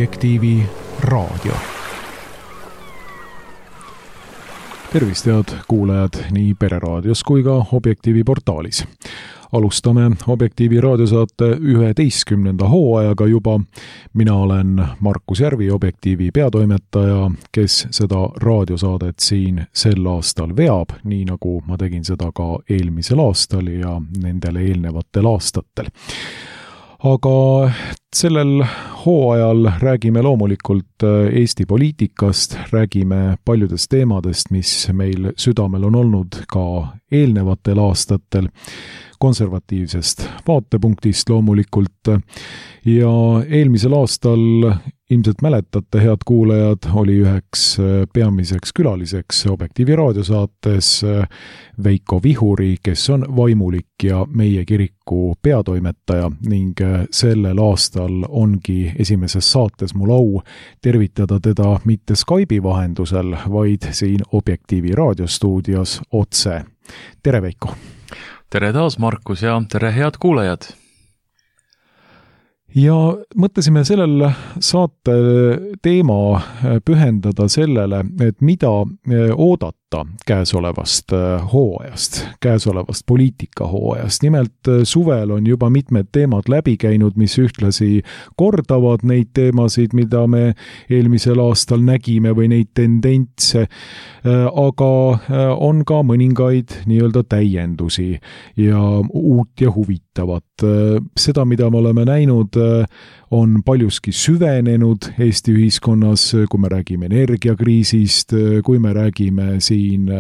Objektiivi raadio. Tervist, head kuulajad nii Pereraadios kui ka Objektiivi portaalis. Alustame Objektiivi raadiosaate 11. hooajaga juba. Mina olen Markus Järvi, Objektiivi peatoimetaja, kes seda raadiosaadet siin sel aastal veab, nii nagu ma tegin seda ka eelmisel aastal ja nendele eelnevatel aastatel. Aga sellel hooajal räägime loomulikult Eesti poliitikast, räägime paljudest teemadest, mis meil südamel on olnud ka eelnevatel aastatel, konservatiivsest vaatepunktist loomulikult. Ja eelmisel aastal, ilmselt mäletate, head kuulajad, oli üheks peamiseks külaliseks Objektiivi raadiosaates Veiko Vihuri, kes on vaimulik ja meie kiriku peatoimetaja ning sellel aastal ongi esimeses saates mul au tervitada teda mitte Skype'i vahendusel, vaid siin Objektiivi raadiostuudios otse. Tere, Veiko! Tere taas, Markus, ja tere, head kuulajad! Ja mõtlesime sellel saate teema pühendada sellele, et mida oodata käesolevast hooajast, käesolevast poliitikahooajast. Nimelt suvel on juba mitmed teemad läbi käinud, mis ühtlasi kordavad neid teemasid, mida me eelmisel aastal nägime või neid tendentse, aga on ka mõningaid nii-öelda täiendusi ja uut ja huvitavat. Seda, mida me oleme näinud, on paljuski süvenenud Eesti ühiskonnas, kui me räägime energiakriisist, kui me räägime siin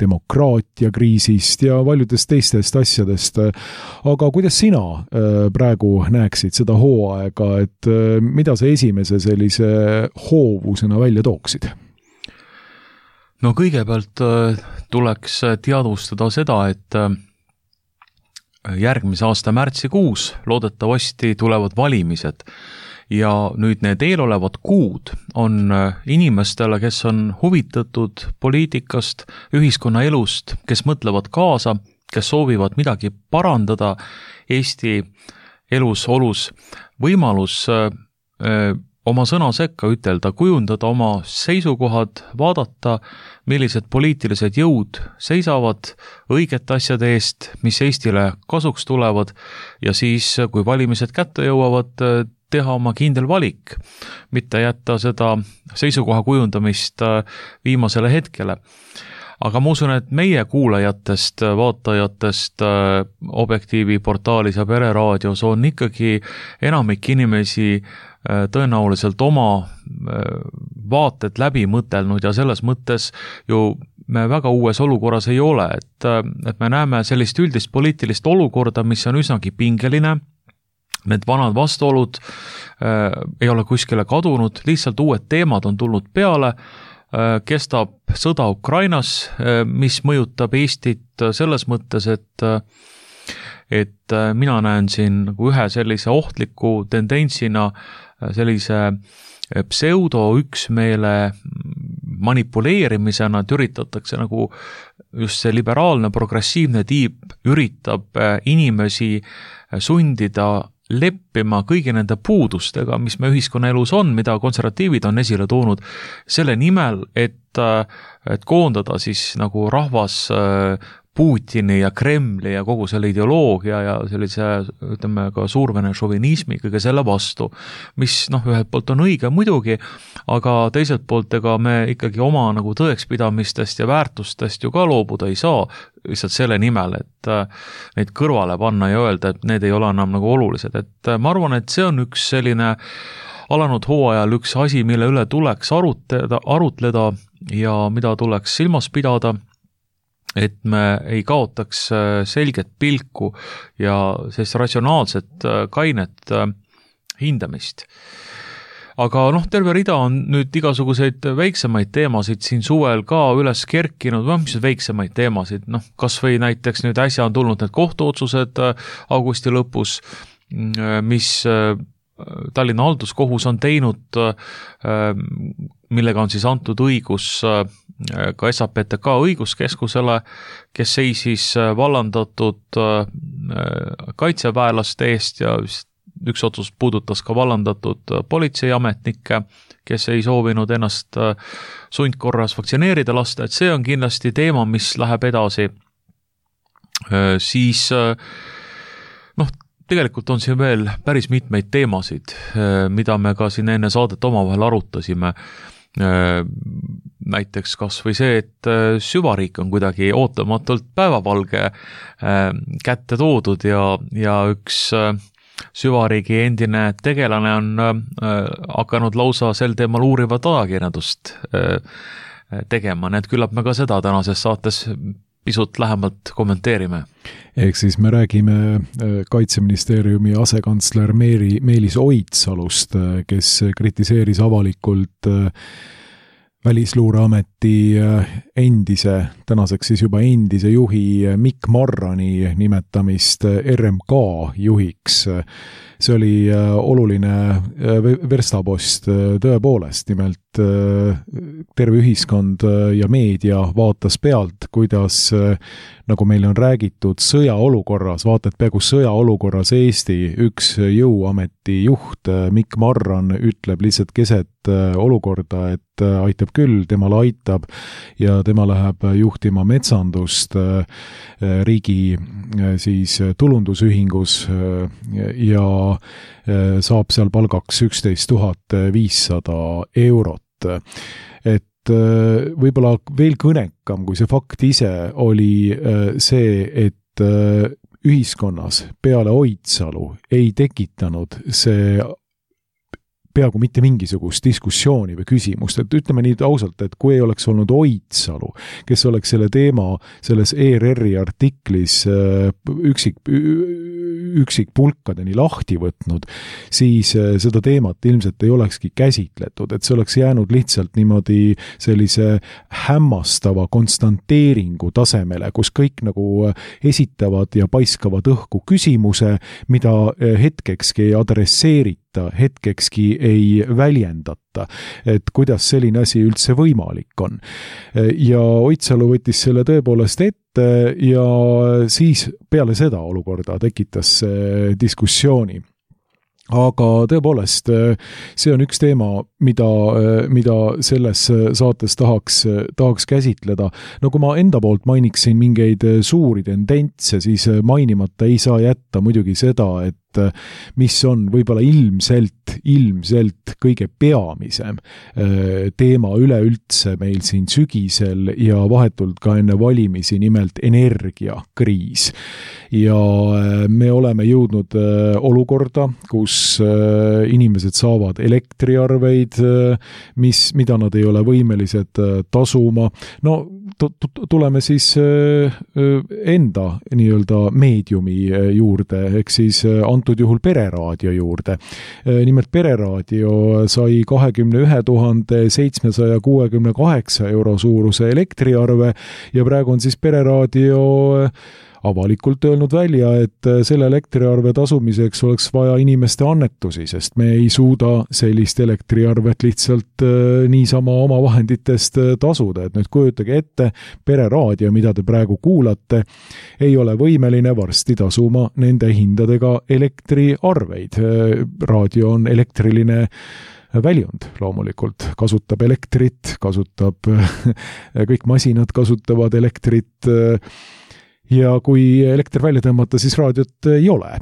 demokraatiakriisist ja paljudest teistest asjadest. Aga kuidas sina praegu näeksid seda hooaega, et mida sa esimese sellise hoovusena välja tooksid? No kõigepealt tuleks teadvustada seda, et järgmise aasta märtsikuus loodetavasti tulevad valimised ja nüüd need eelolevad kuud on inimestele, kes on huvitatud poliitikast, ühiskonna elust, kes mõtlevad kaasa, kes soovivad midagi parandada Eesti elus, olus, võimalus oma sõna sekka ütelda, kujundada oma seisukohad, vaadata, millised poliitilised jõud seisavad õigete asjade eest, mis Eestile kasuks tulevad ja siis, kui valimised kätte jõuavad, teha oma kindel valik, mitte jätta seda seisukoha kujundamist viimasele hetkele. Aga ma usun, et meie kuulajatest, vaatajatest Objektiivi portaalis ja Pereraadios on ikkagi enamik inimesi tõenäoliselt oma vaated läbi mõtelnud ja selles mõttes ju me väga uues olukorras ei ole, et me näeme sellist üldist poliitilist olukorda, mis on üsnagi pingeline, need vanad vastuolud ei ole kuskile kadunud, lihtsalt uued teemad on tulnud peale, kestab sõda Ukrainas, mis mõjutab Eestit selles mõttes, et mina näen siin nagu ühe sellise ohtliku tendentsina sellise pseudo-üksmeele manipuleerimisena, et üritatakse nagu just see liberaalne, progressiivne tiip üritab inimesi sundida leppima kõigi nende puudustega, mis me ühiskonnaelus on, mida konservatiivid on esile toonud, selle nimel, et koondada siis nagu rahvas Putini ja Kremli ja kogu selle ideoloogia ja sellise, ütleme, ka suurvene šovinismi kõige selle vastu, mis ühelt poolt on õige muidugi, aga teiselt poolt ega me ikkagi oma nagu tõekspidamistest ja väärtustest ju ka loobuda ei saa, lihtsalt selle nimel, et neid kõrvale panna ja öelda, et need ei ole enam nagu olulised. Et ma arvan, et see on üks selline alanud hooajal üks asi, mille üle tuleks arutleda ja mida tuleks silmas pidada, et me ei kaotaks selget pilku ja sellist ratsionaalset kainet hindamist. Aga terve rida on nüüd igasuguseid väiksemaid teemasid siin suvel ka üles kerkinud, mis väiksemaid teemasid, kas või näiteks nüüd äsja on tulnud need kohtuotsused augusti lõpus, mis Tallinna halduskohus on teinud, millega on siis antud õigus ka SAPTK õiguskeskusele, kes seisis vallandatud kaitseväelaste eest ja üks otsus puudutas ka vallandatud politseiametnikke, kes ei soovinud ennast sundkorras vaktsineerida lasta, et see on kindlasti teema, mis läheb edasi. Siis tegelikult on siin veel päris mitmeid teemasid, mida me ka siin enne saadet omavahel arutasime. Näiteks kas või see, et süvariik on kuidagi ootamatult päevavalge kätte toodud ja üks süvariigi endine tegelane on hakanud lausa sel teemal uurivat ajakirjandust tegema, nii et küllap me ka seda tänases saates pisut lähemalt kommenteerime. Ehk siis me räägime Kaitseministeeriumi asekantsler Meelis Oidsalust, kes kritiseeris avalikult Välisluureameti tänaseks siis juba endise juhi Mikk Marrani nimetamist RMK juhiks. See oli oluline verstapost tõepoolest, nimelt terve ühiskond ja meedia vaatas pealt, kuidas, nagu meile on räägitud, sõjaolukorras, vaatad peaaegu sõjaolukorras Eesti üks jõuameti juht Mikk Marran ütleb lihtsalt keset olukorda, et aitab küll, temal aitab ja tema läheb juhtima metsandust riigi siis tulundusühingus ja saab seal palgaks 11 500 eurot. Et võib-olla veel kõnekam kui see fakt ise oli see, et ühiskonnas peale Oidsalu ei tekitanud see peaaegu mitte mingisugust diskussiooni või küsimust, et ütleme nii ausalt, et kui ei oleks olnud Oidsalu, kes oleks selle teema selles ERR-i artiklis üksikpulkadeni lahti võtnud, siis seda teemat ilmselt ei olekski käsitletud, et see oleks jäänud lihtsalt niimoodi sellise hämmastava konstanteeringu tasemele, kus kõik nagu esitavad ja paiskavad õhku küsimuse, mida hetkekski ei adresseerita, hetkekski ei väljendata, et kuidas selline asi üldse võimalik on. Ja Oidsalu võttis selle tõepoolest ette ja siis peale seda olukorda tekitas diskussiooni. Aga tõepoolest, see on üks teema, mida selles saates tahaks käsitleda. No kui ma enda poolt mainiksin mingeid suuri tendentse, siis mainimata ei saa jätta muidugi seda, et mis on võib-olla ilmselt kõige peamisem teema üleüldse meil siin sügisel ja vahetult ka enne valimisi, nimelt energiakriis. Ja me oleme jõudnud olukorda, kus inimesed saavad elektriarveid, mida nad ei ole võimelised tasuma. No tuleme siis enda nii-öelda meediumi juurde, ehk siis antud juhul Pereraadio juurde. Nimelt Pereraadio sai 21 768 euro suuruse elektriarve ja praegu on siis Pereraadio avalikult öelnud välja, et selle elektriarve tasumiseks oleks vaja inimeste annetusi, sest me ei suuda sellist elektriarvet lihtsalt niisama oma vahenditest tasuda. Et nüüd kujutage ette, Pereraadio, mida te praegu kuulate, ei ole võimeline varsti tasuma nende hindadega elektriarveid. Raadio on elektriline väljund loomulikult, kasutab elektrit, kõik masinad kasutavad elektrit, ja kui elekter välja tõmmata, siis raadiot ei ole.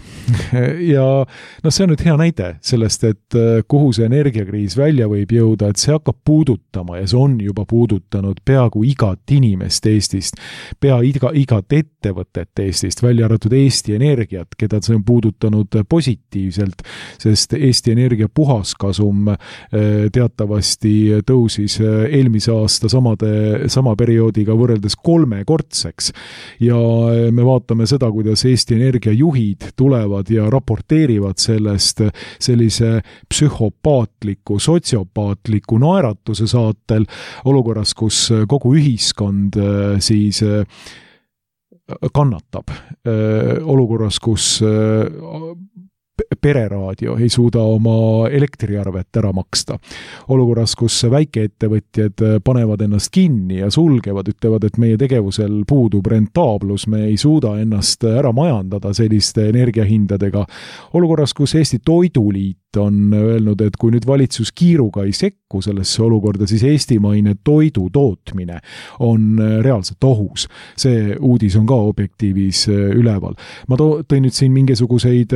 Ja see on nüüd hea näide sellest, et kuhu see energiakriis välja võib jõuda, et see hakkab puudutama ja see on juba puudutanud peaaegu igat inimest Eestist, igat ettevõtet Eestist, välja arvatud Eesti Energiat, keda see on puudutanud positiivselt, sest Eesti Energia puhaskasum teatavasti tõusis eelmise aasta sama perioodiga võrreldes 3-kordseks ja me vaatame seda, kuidas Eesti Energia juhid tulevad ja raporteerivad sellest sellise psühhopaatliku, sotsiopaatliku naeratuse saatel olukorras, kus kogu ühiskond siis kannatab. Olukorras, kus pereraadio ei suuda oma elektriarvet ära maksta. Olukorras, kus väikeettevõtjad panevad ennast kinni ja sulgevad, ütlevad, et meie tegevusel puudub rentaablus, me ei suuda ennast ära majandada selliste energiahindadega. Olukorras, kus Eesti Toiduliit on öelnud, et kui nüüd valitsus kiiruga ei sekku sellesse olukorda, siis eestimaine toidu tootmine on reaalselt ohus. See uudis on ka Objektiivis üleval. Ma tõin nüüd siin mingisuguseid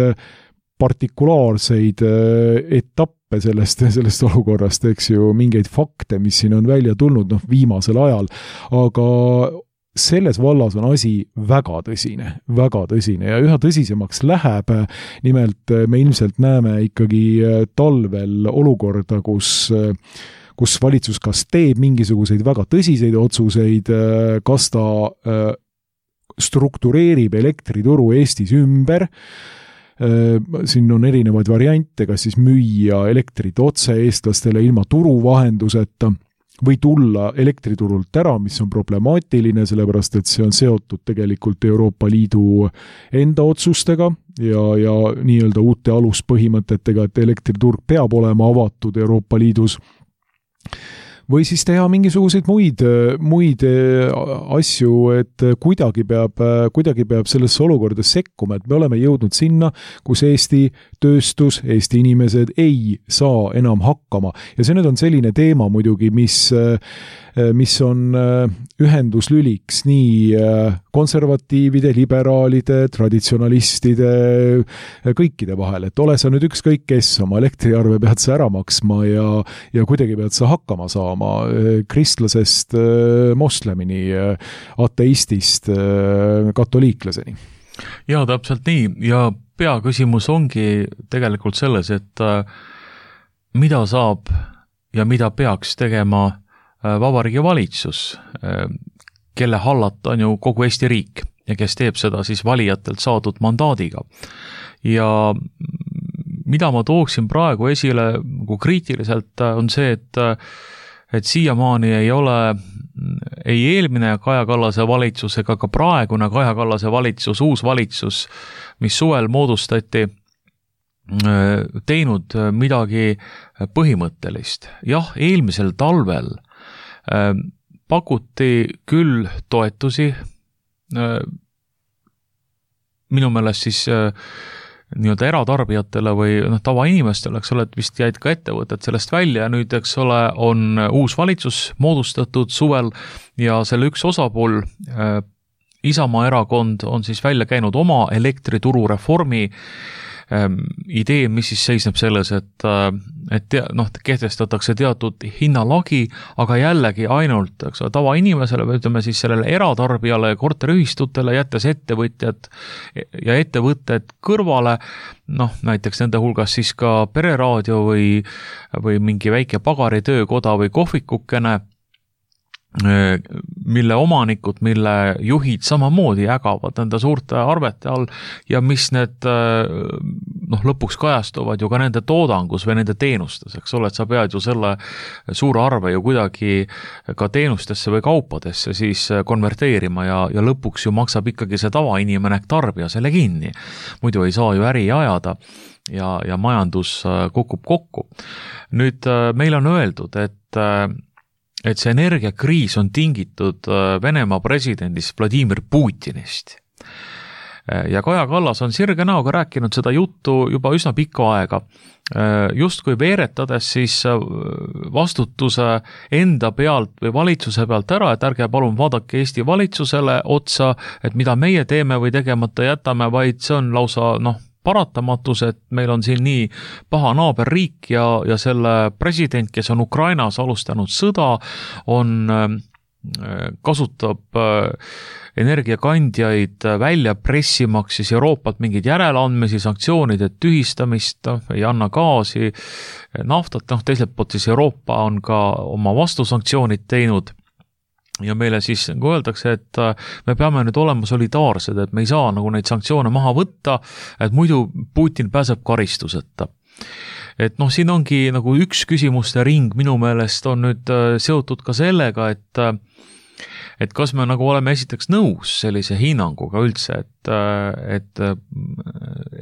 partikulaarseid etappe sellest olukorrast, eks ju, mingeid fakte, mis siin on välja tulnud viimasel ajal, aga selles vallas on asi väga tõsine ja üha tõsisemaks läheb. Nimelt me ilmselt näeme ikkagi talvel olukorda, kus valitsus kas teeb mingisuguseid väga tõsiseid otsuseid, kas ta struktureerib elektrituru Eestis ümber. Siin on erinevaid variante, kas siis müüa elektrit otse eestlastele ilma turu vahenduseta või tulla elektriturult ära, mis on problemaatiline, sellepärast et see on seotud tegelikult Euroopa Liidu enda otsustega ja nii-öelda uute aluspõhimõtetega, et elektriturg peab olema avatud Euroopa Liidus. Või siis teha mingisuguseid muid asju, et kuidagi peab sellesse olukorda sekkuma, et me oleme jõudnud sinna, kus Eesti tööstus, Eesti inimesed ei saa enam hakkama. Ja see nüüd on selline teema muidugi, mis on ühenduslüliks nii konservatiivide, liberaalide, traditsionalistide, kõikide vahel, et ole sa nüüd ükskõik kes, oma elektriarve pead sa ära maksma ja kuidagi pead sa hakkama saama kristlasest moslemini, ateistist katoliiklaseni. Ja täpselt nii ja peaküsimus ongi tegelikult selles, et mida saab ja mida peaks tegema Vabariigi valitsus, kelle hallata on ju kogu Eesti riik ja kes teeb seda siis valijatelt saadud mandaadiga. Ja mida ma tooksin praegu esile kriitiliselt on see, et siiamaani ei ole ei eelmine Kaja Kallase valitsus ega ka praegune Kaja Kallase valitsus, uus valitsus, mis suvel moodustati, teinud midagi põhimõttelist. Jah, eelmisel talvel pakuti küll toetusi, minu meelest siis nii-öelda eratarbijatele või tavainimestele, eks ole, et vist jäid ka ettevõtted sellest välja ja nüüd, eks ole, on uus valitsus moodustatud suvel ja selle üks osapool, Isamaa erakond, on siis välja käinud oma elektrituru reformi idee, mis siis seisneb selles, et kehtestatakse teatud hinnalagi, aga jällegi ainult tavainimesele või ütleme siis sellele eratarbijale ja korteriühistutele, jättes ettevõtjad ja ettevõtted kõrvale, näiteks nende hulgas siis ka pereraadio või mingi väike pagaritöökoda või kohvikukene, mille omanikud, mille juhid samamoodi ägavad nende suurte arvete all ja mis need lõpuks kajastuvad ju ka nende toodangus või nende teenustes, eks ole, et sa pead ju selle suure arve ju kuidagi ka teenustesse või kaupadesse siis konverteerima ja lõpuks ju maksab ikkagi see tavainimene tarbija selle kinni. Muidu ei saa ju äri ajada ja majandus kukub kokku. Nüüd meil on öeldud, et see energiakriis on tingitud Venemaa presidendist Vladimir Putinist. Ja Kaja Kallas on sirge näoga rääkinud seda juttu juba üsna pikka aega. Justkui veeretades siis vastutuse enda pealt või valitsuse pealt ära, et ärge palun vaadake Eesti valitsusele otsa, et mida meie teeme või tegemata jätame, vaid see on lausa paratamatus, et meil on siin nii paha naaberriik ja selle president, kes on Ukrainas alustanud sõda, kasutab energiakandjaid välja pressimaks siis Euroopalt mingeid järeleandmisi, sanktsioonide tühistamist, ei anna gaasi, naftat, teiselt poolt siis Euroopa on ka oma vastusanktsioonid teinud. Ja meile siis nagu öeldakse, et me peame nüüd olema solidaarsed, et me ei saa nagu neid sanktsioone maha võtta, et muidu Putin pääseb karistuseta. Et siin ongi nagu üks küsimuste ring minu meelest on nüüd seotud ka sellega, et kas me nagu oleme esiteks nõus sellise hinnanguga üldse, et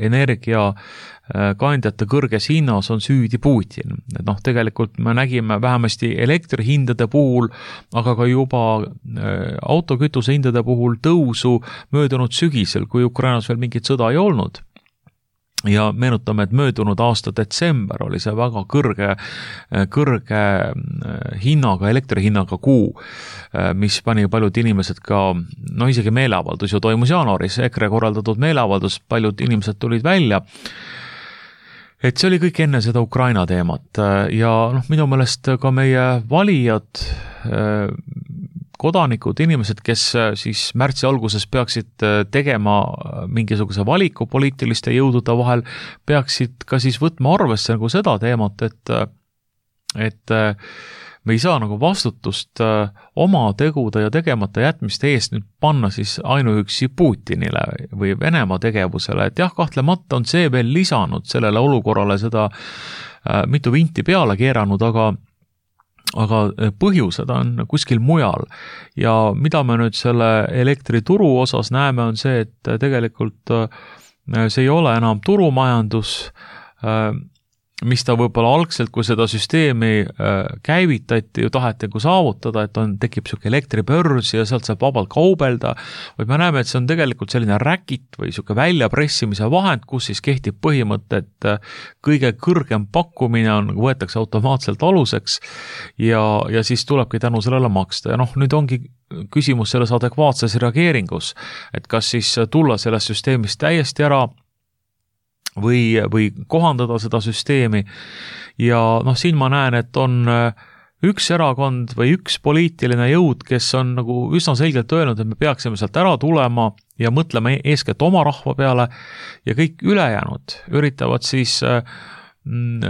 energiakandjate kõrges hinnas on süüdi Putin. Et tegelikult me nägime vähemasti elektrihindade puhul, aga ka juba autokütuse hindade puhul tõusu möödunud sügisel, kui Ukrainas veel mingit sõda ei olnud. Ja meenutame, et möödunud aasta detsember oli see väga kõrge hinnaga, elektrihinnaga kuu, mis pani paljud inimesed ka, isegi meeleavaldus ju toimus jaanuaris, EKRE korraldatud meeleavaldus, paljud inimesed tulid välja, et see oli kõik enne seda Ukraina teemat ja minu meelest ka meie valijad, kodanikud, inimesed, kes siis märtsi alguses peaksid tegema mingisuguse valiku poliitiliste jõudude vahel, peaksid ka siis võtma arvesse nagu seda teemat, et me ei saa nagu vastutust oma tegude ja tegemata jätmiste eest nüüd panna siis ainuüksi Putinile või Venemaa tegevusele, et jah, kahtlemata on see veel lisanud sellele olukorrale seda mitu vinti peale keeranud, aga põhjused on kuskil mujal ja mida me nüüd selle elektrituru osas näeme, on see, et tegelikult see ei ole enam turumajandus, mis ta võib-olla algselt, kui seda süsteemi käivitati, ju taheti saavutada, et tekib selline elektribörs ja sealt saab vabalt kaubelda, vaid me näeme, et see on tegelikult selline räkit või selline väljapressimise vahend, kus siis kehtib põhimõte, et kõige kõrgem pakkumine võetakse automaatselt aluseks ja siis tulebki tänu sellele maksta. Ja nüüd ongi küsimus selles adekvaatses reageeringus, et kas siis tulla sellest süsteemist täiesti ära või kohandada seda süsteemi ja siin ma näen, et on üks erakond või üks poliitiline jõud, kes on nagu üsna selgelt öelnud, et me peaksime sealt ära tulema ja mõtlema eeskätt oma rahva peale ja kõik ülejäänud üritavad siis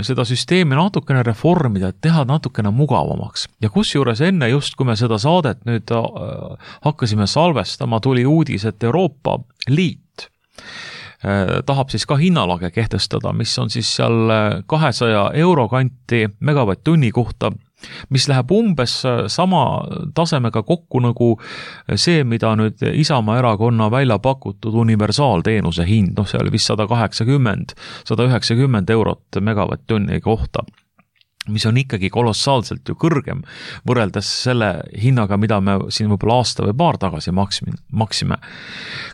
seda süsteemi natukene reformida, et teha natukene mugavamaks. Ja kusjuures enne just, kui me seda saadet nüüd hakkasime salvestama, tuli uudis, et Euroopa Liit tahab siis ka hinnalage kehtestada, mis on siis seal 200 euro kanti megavatt-tunni kohta, mis läheb umbes sama tasemega kokku nagu see, mida nüüd Isamaa erakonna välja pakutud universaalteenuse hind, see oli vist 190 eurot megavatt-tunni kohta, mis on ikkagi kolossaalselt ju kõrgem võrreldes selle hinnaga, mida me siin võib-olla aasta või paar tagasi maksime.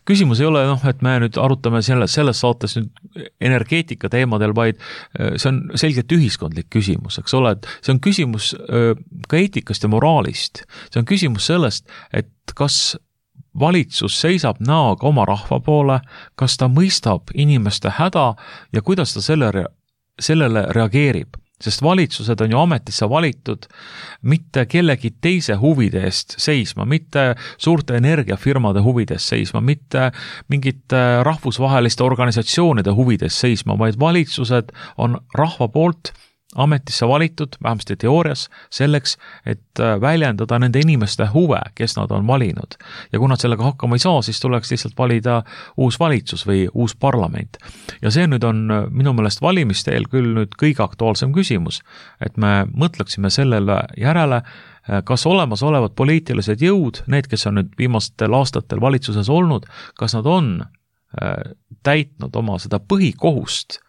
Küsimus ei ole, et me nüüd arutame selles saates nüüd energeetika teemadel, vaid see on selgelt ühiskondlik küsimus, eks ole, et see on küsimus ka eetikast ja moraalist. See on küsimus sellest, et kas valitsus seisab näoga oma rahva poole, kas ta mõistab inimeste häda ja kuidas ta sellele reageerib. Sest valitsused on ju ametisse valitud mitte kellegi teise huvide eest seisma, mitte suurte energiafirmade huvide eest seisma, mitte mingite rahvusvaheliste organisatsioonide huvide eest seisma, vaid valitsused on rahva poolt ametisse valitud, vähemasti teoorias, selleks, et väljendada nende inimeste huve, kes nad on valinud. Ja kui nad sellega hakkama ei saa, siis tuleks lihtsalt valida uus valitsus või uus parlament. Ja see nüüd on minu meelest valimiste eel küll nüüd kõige aktuaalsem küsimus, et me mõtleksime sellele järele, kas olemasolevad poliitilised jõud, need, kes on nüüd viimastel aastatel valitsuses olnud, kas nad on täitnud oma seda põhikohust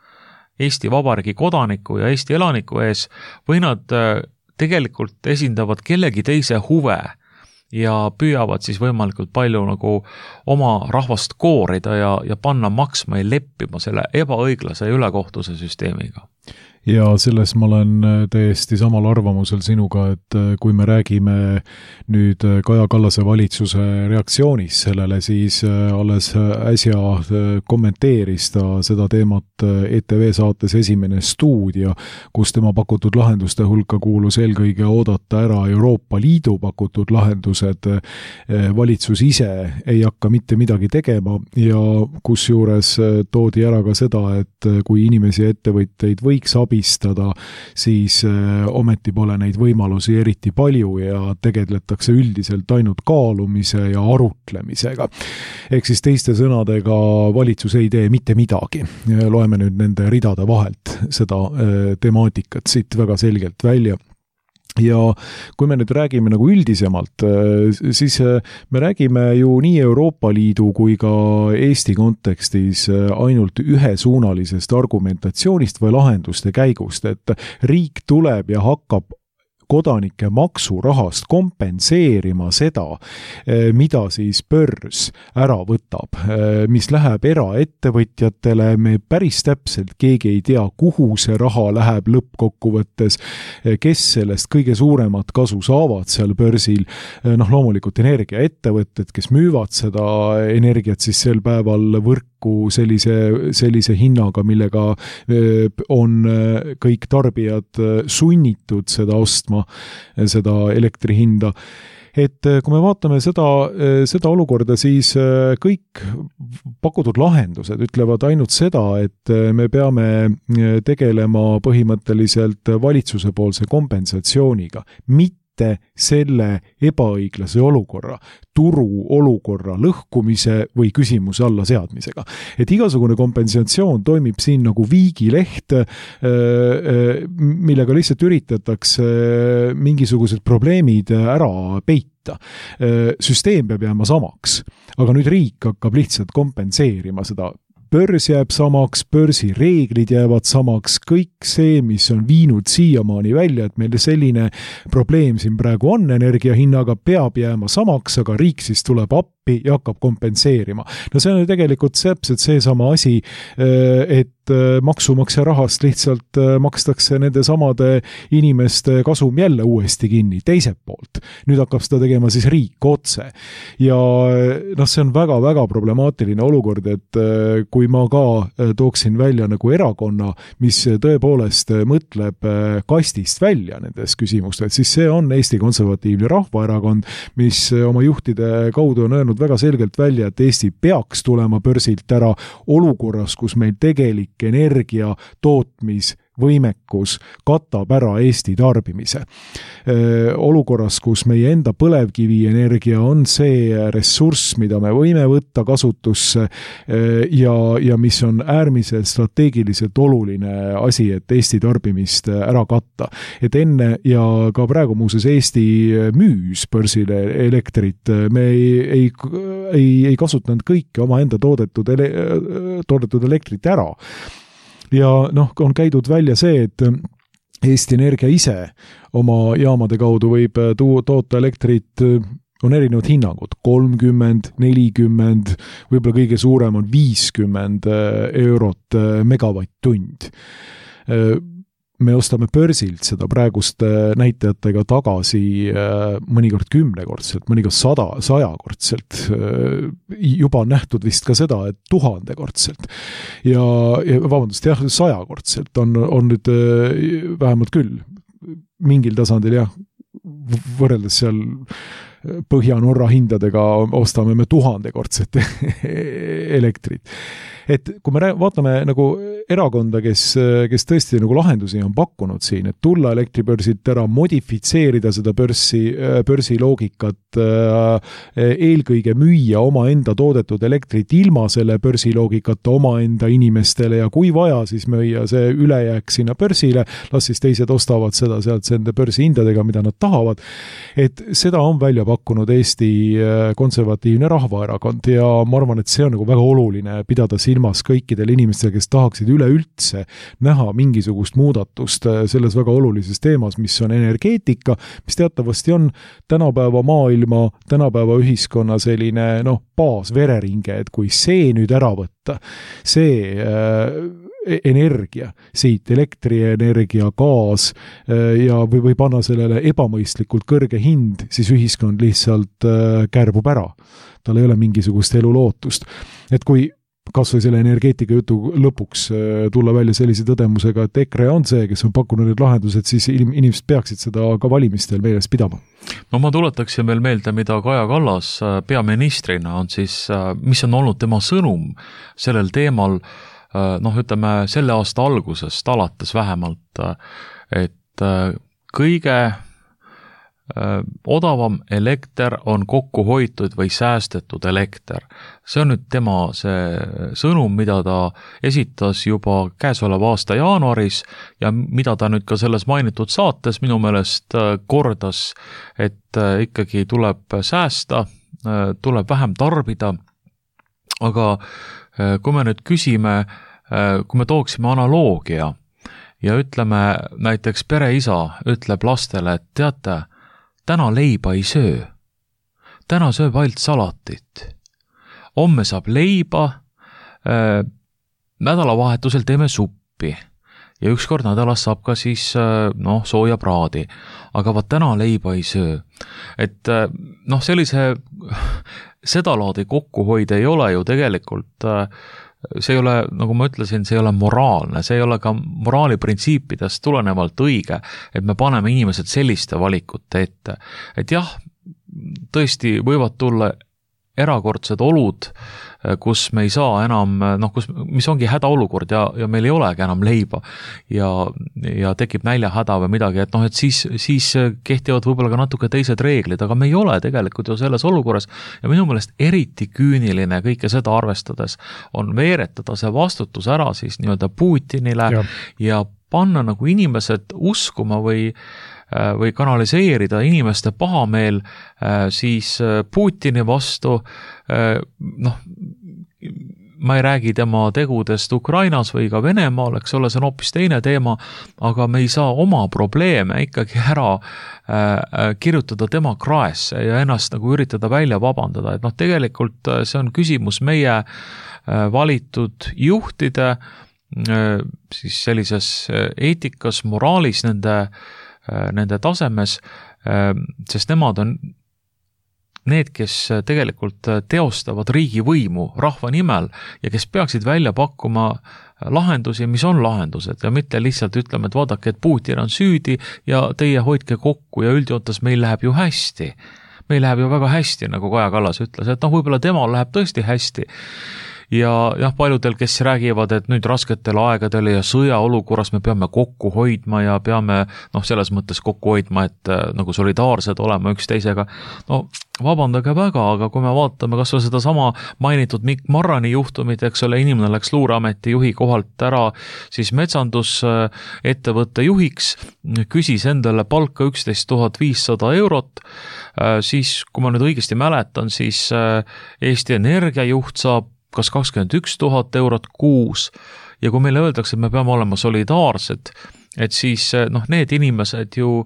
Eesti Vabariigi kodaniku ja Eesti elaniku ees või nad tegelikult esindavad kellegi teise huve ja püüavad siis võimalikult palju nagu oma rahvast koorida ja panna maksma ja leppima selle ebaõiglase ja ülekohtuse süsteemiga. Ja selles ma olen täiesti samal arvamusel sinuga, et kui me räägime nüüd Kaja Kallase valitsuse reaktsioonist sellele, siis alles äsja kommenteeris ta seda teemat ETV saates Esimene stuudio, kus tema pakutud lahenduste hulka kuulus eelkõige oodata ära Euroopa Liidu pakutud lahendused. Valitsus ise ei hakka mitte midagi tegema ja kusjuures toodi ära ka seda, et kui inimesi ja ettevõtteid võiks abistada, siis ometi pole neid võimalusi eriti palju ja tegeletakse üldiselt ainult kaalumise ja arutlemisega. Ehk siis teiste sõnadega valitsus ei tee mitte midagi. Loeme nüüd nende ridade vahelt seda temaatikat siit väga selgelt välja. ja kui me nüüd räägime nagu üldisemalt, siis me räägime ju nii Euroopa Liidu kui ka Eesti kontekstis ainult ühesuunalisest argumentatsioonist või lahenduste käigust, et riik tuleb ja hakkab kodanike maksurahast kompenseerima seda, mida siis börs ära võtab, mis läheb eraettevõtjatele, me päris täpselt keegi ei tea, kuhu see raha läheb lõppkokkuvõttes, kes sellest kõige suuremat kasu saavad seal börsil, loomulikult energiaettevõtted, kes müüvad seda energiat siis sel päeval võrku sellise hinnaga, millega on kõik tarbijad sunnitud seda ostma, seda elektri hinda. Et kui me vaatame seda olukorda, siis kõik pakutud lahendused ütlevad ainult seda, et me peame tegelema põhimõtteliselt valitsuse poolse kompensatsiooniga, mitte selle ebaõiglase olukorra, turu olukorra lõhkumise või küsimuse alla seadmisega. Et igasugune kompensatsioon toimib siin nagu viigileht, millega lihtsalt üritatakse mingisugused probleemid ära peita. Süsteem peab jääma samaks, aga nüüd riik hakkab lihtsalt kompenseerima seda. Börs jääb samaks, börsi reeglid jäävad samaks, kõik see, mis on viinud siiamaani välja, et meil selline probleem siin praegu on energiahinnaga, peab jääma samaks, aga riik siis tuleb appi ja hakkab kompenseerima. No see on tegelikult täpselt seesama asi, et maksumaksja rahast lihtsalt makstakse nende samade inimeste kasum jälle uuesti kinni, teiselt poolt. Nüüd hakkab seda tegema siis riik otse. Ja see on väga-väga problemaatiline olukord, et kui ma ka tooksin välja nagu erakonna, mis tõepoolest mõtleb kastist välja nendes küsimustes, siis see on Eesti Konservatiivne Rahvaerakond, mis oma juhtide kaudu on öelnud väga selgelt välja, et Eesti peaks tulema börsilt ära olukorras, kus meil tegelik energia tootmisvõimekus katab ära Eesti tarbimise. Olukorras, kus meie enda põlevkivienergia on see ressurss, mida me võime võtta kasutusse ja mis on äärmiselt strateegiliselt oluline asi, et Eesti tarbimist ära katta. Et enne ja ka praegu muuses Eesti müüs börsile elektrit, me ei kasutanud kõike oma enda toodetud elektrit ära. Ja on käidud välja see, et Eesti Energia ise oma jaamade kaudu võib toota elektrit, on erinevad hinnangud, 30, 40, võib-olla kõige suurem on 50 eurot megavatt-tund. Me ostame börsilt seda praeguste näitajatega tagasi mõnikord 10-kordselt, mõnikord 100-kordselt. Juba on nähtud vist ka seda, et 1000-kordselt. Ja 100-kordselt on nüüd vähemalt küll mingil tasandil võrreldes seal Põhja-Norra hindadega ostame me 1000-kordset elektrit. Et kui me vaatame nagu erakonda, kes tõesti nagu lahendusi on pakkunud siin, et tulla elektribörsilt ära, modifitseerida seda börsi loogikat, eelkõige müüa oma enda toodetud elektrit ilma selle börsi loogikata oma enda inimestele ja kui vaja, siis müüa see ülejääk sinna börsile, las siis teised ostavad seda sealt nende börsi hindadega, mida nad tahavad. Et seda on välja pakkunud Eesti Konservatiivne Rahvaerakond ja ma arvan, et see on nagu väga oluline pidada silmas kõikidel inimestel, kes tahaksid üleüldse näha mingisugust muudatust selles väga olulises teemas, mis on energeetika, mis teatavasti on tänapäeva maailma, tänapäeva ühiskonna selline baasvereringe, et kui see nüüd ära võtta, see energia, siit elektrienergia, gaas ja või panna sellele ebamõistlikult kõrge hind, siis ühiskond lihtsalt kärbub ära. Tal ei ole mingisugust elulootust. Et kui kas või selle energeetika jutu lõpuks tulla välja sellise tõdemusega, et EKRE on see, kes on pakkunud need lahendused, siis inimesed peaksid seda ka valimistel meeles pidama. No ma tuletaksin veel meelde, mida Kaja Kallas peaministrina on siis, mis on olnud tema sõnum sellel teemal, ütleme selle aasta algusest alates vähemalt, et kõige odavam elekter on kokku hoitud või säästetud elekter. See on nüüd tema see sõnum, mida ta esitas juba käesoleva aasta jaanuaris ja mida ta nüüd ka selles mainitud saates minu meelest kordas, et ikkagi tuleb säästa, tuleb vähem tarbida, aga kui me nüüd küsime, kui me tooksime analoogia ja ütleme näiteks pereisa ütleb lastele, et teate, täna leiba ei söö. Täna sööb ainult salatit. Homme saab leiba, nädalavahetusel teeme suppi ja ükskord nädalas saab ka siis sooja praadi, aga vaat täna leiba ei söö. Et sellise sedalaadi kokkuhoid ei ole ju tegelikult see ei ole, nagu ma ütlesin, see ei ole moraalne, see ei ole ka moraaliprintsiipidest tulenevalt õige, et me paneme inimesed selliste valikute ette. Et jah, tõesti võivad tulla erakordsed olud, kus me ei saa enam, mis ongi hädaolukord ja meil ei olegi enam leiba ja tekib näljahäda või midagi, et siis kehtivad võib-olla ka natuke teised reeglid, aga me ei ole tegelikult ju selles olukorras ja minu meelest eriti küüniline kõike seda arvestades on veeretada see vastutus ära siis nii-öelda Putinile ja panna nagu inimesed uskuma või kanaliseerida inimeste pahameel siis Putini vastu, ma ei räägi tema tegudest Ukrainas või ka Venemaal, eks ole, see on hoopis teine teema, aga me ei saa oma probleeme ikkagi ära kirjutada tema kraesse ja ennast nagu üritada välja vabandada, et tegelikult see on küsimus meie valitud juhtide siis sellises eetikas, moraalis, nende tasemes, sest nemad on need, kes tegelikult teostavad riigivõimu rahva nimel ja kes peaksid välja pakkuma lahendusi, mis on lahendused ja mitte lihtsalt ütleme, et vaadake, et Putin on süüdi ja teie hoidke kokku ja üldjoontes meil läheb ju hästi. Meil läheb ju väga hästi, nagu Kaja Kallas ütles, et võib-olla temal läheb tõesti hästi. Ja paljudel, kes räägivad, et nüüd rasketel aegadel ja sõjaolukorras me peame kokku hoidma ja peame selles mõttes kokku hoidma, et nagu solidaarsed olema üksteisega. Vabandage väga, aga kui me vaatame kas või seda sama mainitud Mikk Marrani juhtumit, eks ole, inimene läks Luureameti juhi kohalt ära siis metsandusettevõtte juhiks, küsis endale palka 11 500 eurot, siis kui ma nüüd õigesti mäletan, siis Eesti Energia juht saab kas 21 000 eurot kuus ja kui meile öeldakse, et me peame olema solidaarsed, et siis need inimesed ju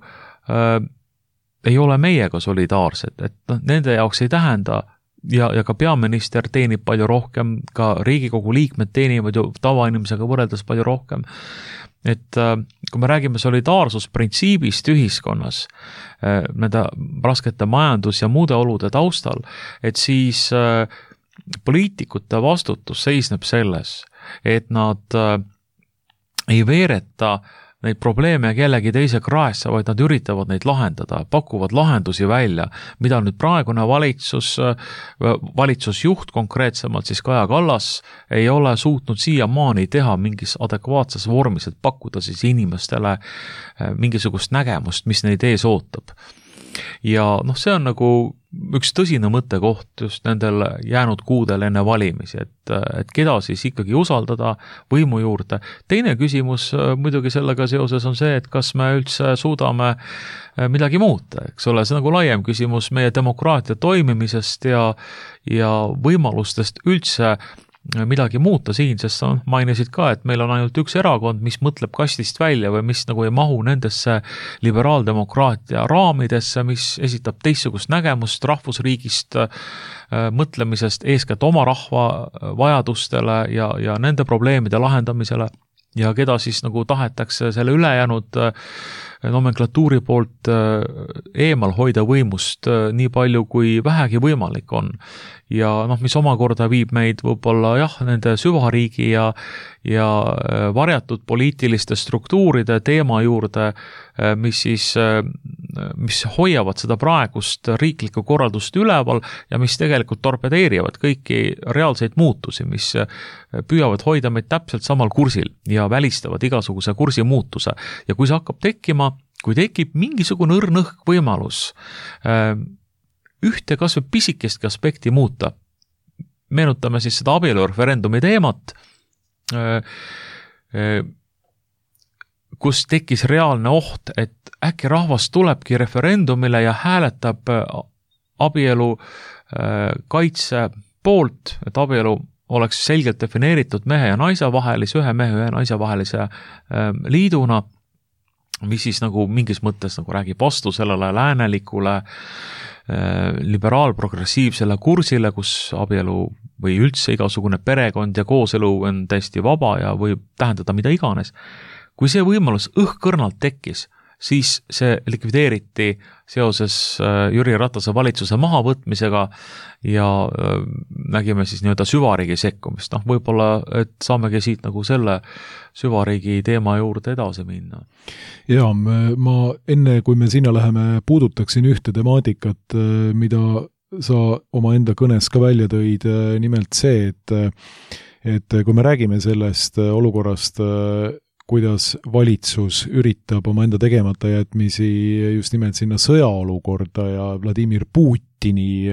ei ole meiega solidaarsed, et nende jaoks ei tähenda ja ka peaminister teenib palju rohkem, ka Riigikogu liikmed teenivad ju tavainimesega võrreldes palju rohkem. Et kui me räägime solidaarsusprintsiibist ühiskonnas, nende raskete majandus- ja muude olude taustal, et siis poliitikute vastutus seisneb selles, et nad ei veereta neid probleeme kellegi teise kraesse, vaid nad üritavad neid lahendada, pakuvad lahendusi välja, mida nüüd praegune valitsusjuht konkreetsemalt siis Kaja Kallas ei ole suutnud siiamaani teha mingis adekvaatses vormis, et pakkuda siis inimestele mingisugust nägemust, mis neid ees ootab. Ja see on nagu üks tõsine mõttekoht just nendel jäänud kuudel enne valimisi, et keda siis ikkagi usaldada võimu juurde. Teine küsimus muidugi sellega seoses on see, et kas me üldse suudame midagi muuta, eks ole, see nagu laiem küsimus meie demokraatia toimimisest ja võimalustest üldse midagi muuta siin, sest sa mainisid ka, et meil on ainult üks erakond, mis mõtleb kastist välja või mis nagu ei mahu nendesse liberaaldemokraatia raamidesse, mis esitab teistsugust nägemust rahvusriigist, mõtlemisest eeskätt oma rahva vajadustele ja nende probleemide lahendamisele ja keda siis nagu tahetakse selle ülejäänud nomenklatuuri poolt eemal hoida võimust nii palju kui vähegi võimalik on. Ja mis omakorda viib meid võib-olla nende süvariigi ja varjatud poliitiliste struktuuride teema juurde, mis hoiavad seda praegust riiklikku korraldust üleval ja mis tegelikult torpedeerivad kõiki reaalseid muutusi, mis püüavad hoida meid täpselt samal kursil ja välistavad igasuguse kursi muutuse. Ja kui see hakkab tekkima, kui tekib mingisugune õrnõhk võimalus ühte kas või pisikestki aspekti muuta, meenutame siis seda abielureferendumi teemat, kus tekkis reaalne oht, et äkki rahvas tulebki referendumile ja hääletab abielu kaitse poolt, et abielu oleks selgelt defineeritud mehe ja naise vahelise, ühe mehe ja ühe naise vahelise liiduna, mis siis nagu mingis mõttes nagu räägib vastu sellele läänelikule liberaalprogressiivsele kursile, kus abielu või üldse igasugune perekond ja kooselu on täiesti vaba ja võib tähendada mida iganes. Kui see võimalus õhkõrnalt tekkis, siis see likvideeriti seoses Jüri Ratase valitsuse mahavõtmisega ja nägime siis nii-öelda süvariigi sekkumist. Võib-olla, et saamegi siit nagu selle süvariigi teema juurde edasi minna. Ja, ma enne, kui me sinna läheme, puudutaksin ühte temaatikat, mida sa oma enda kõnes ka välja tõid, nimelt see, et kui me räägime sellest olukorrast, kuidas valitsus üritab oma enda tegemata jätmisi just nimelt sinna sõjaolukorda ja Vladimir Putini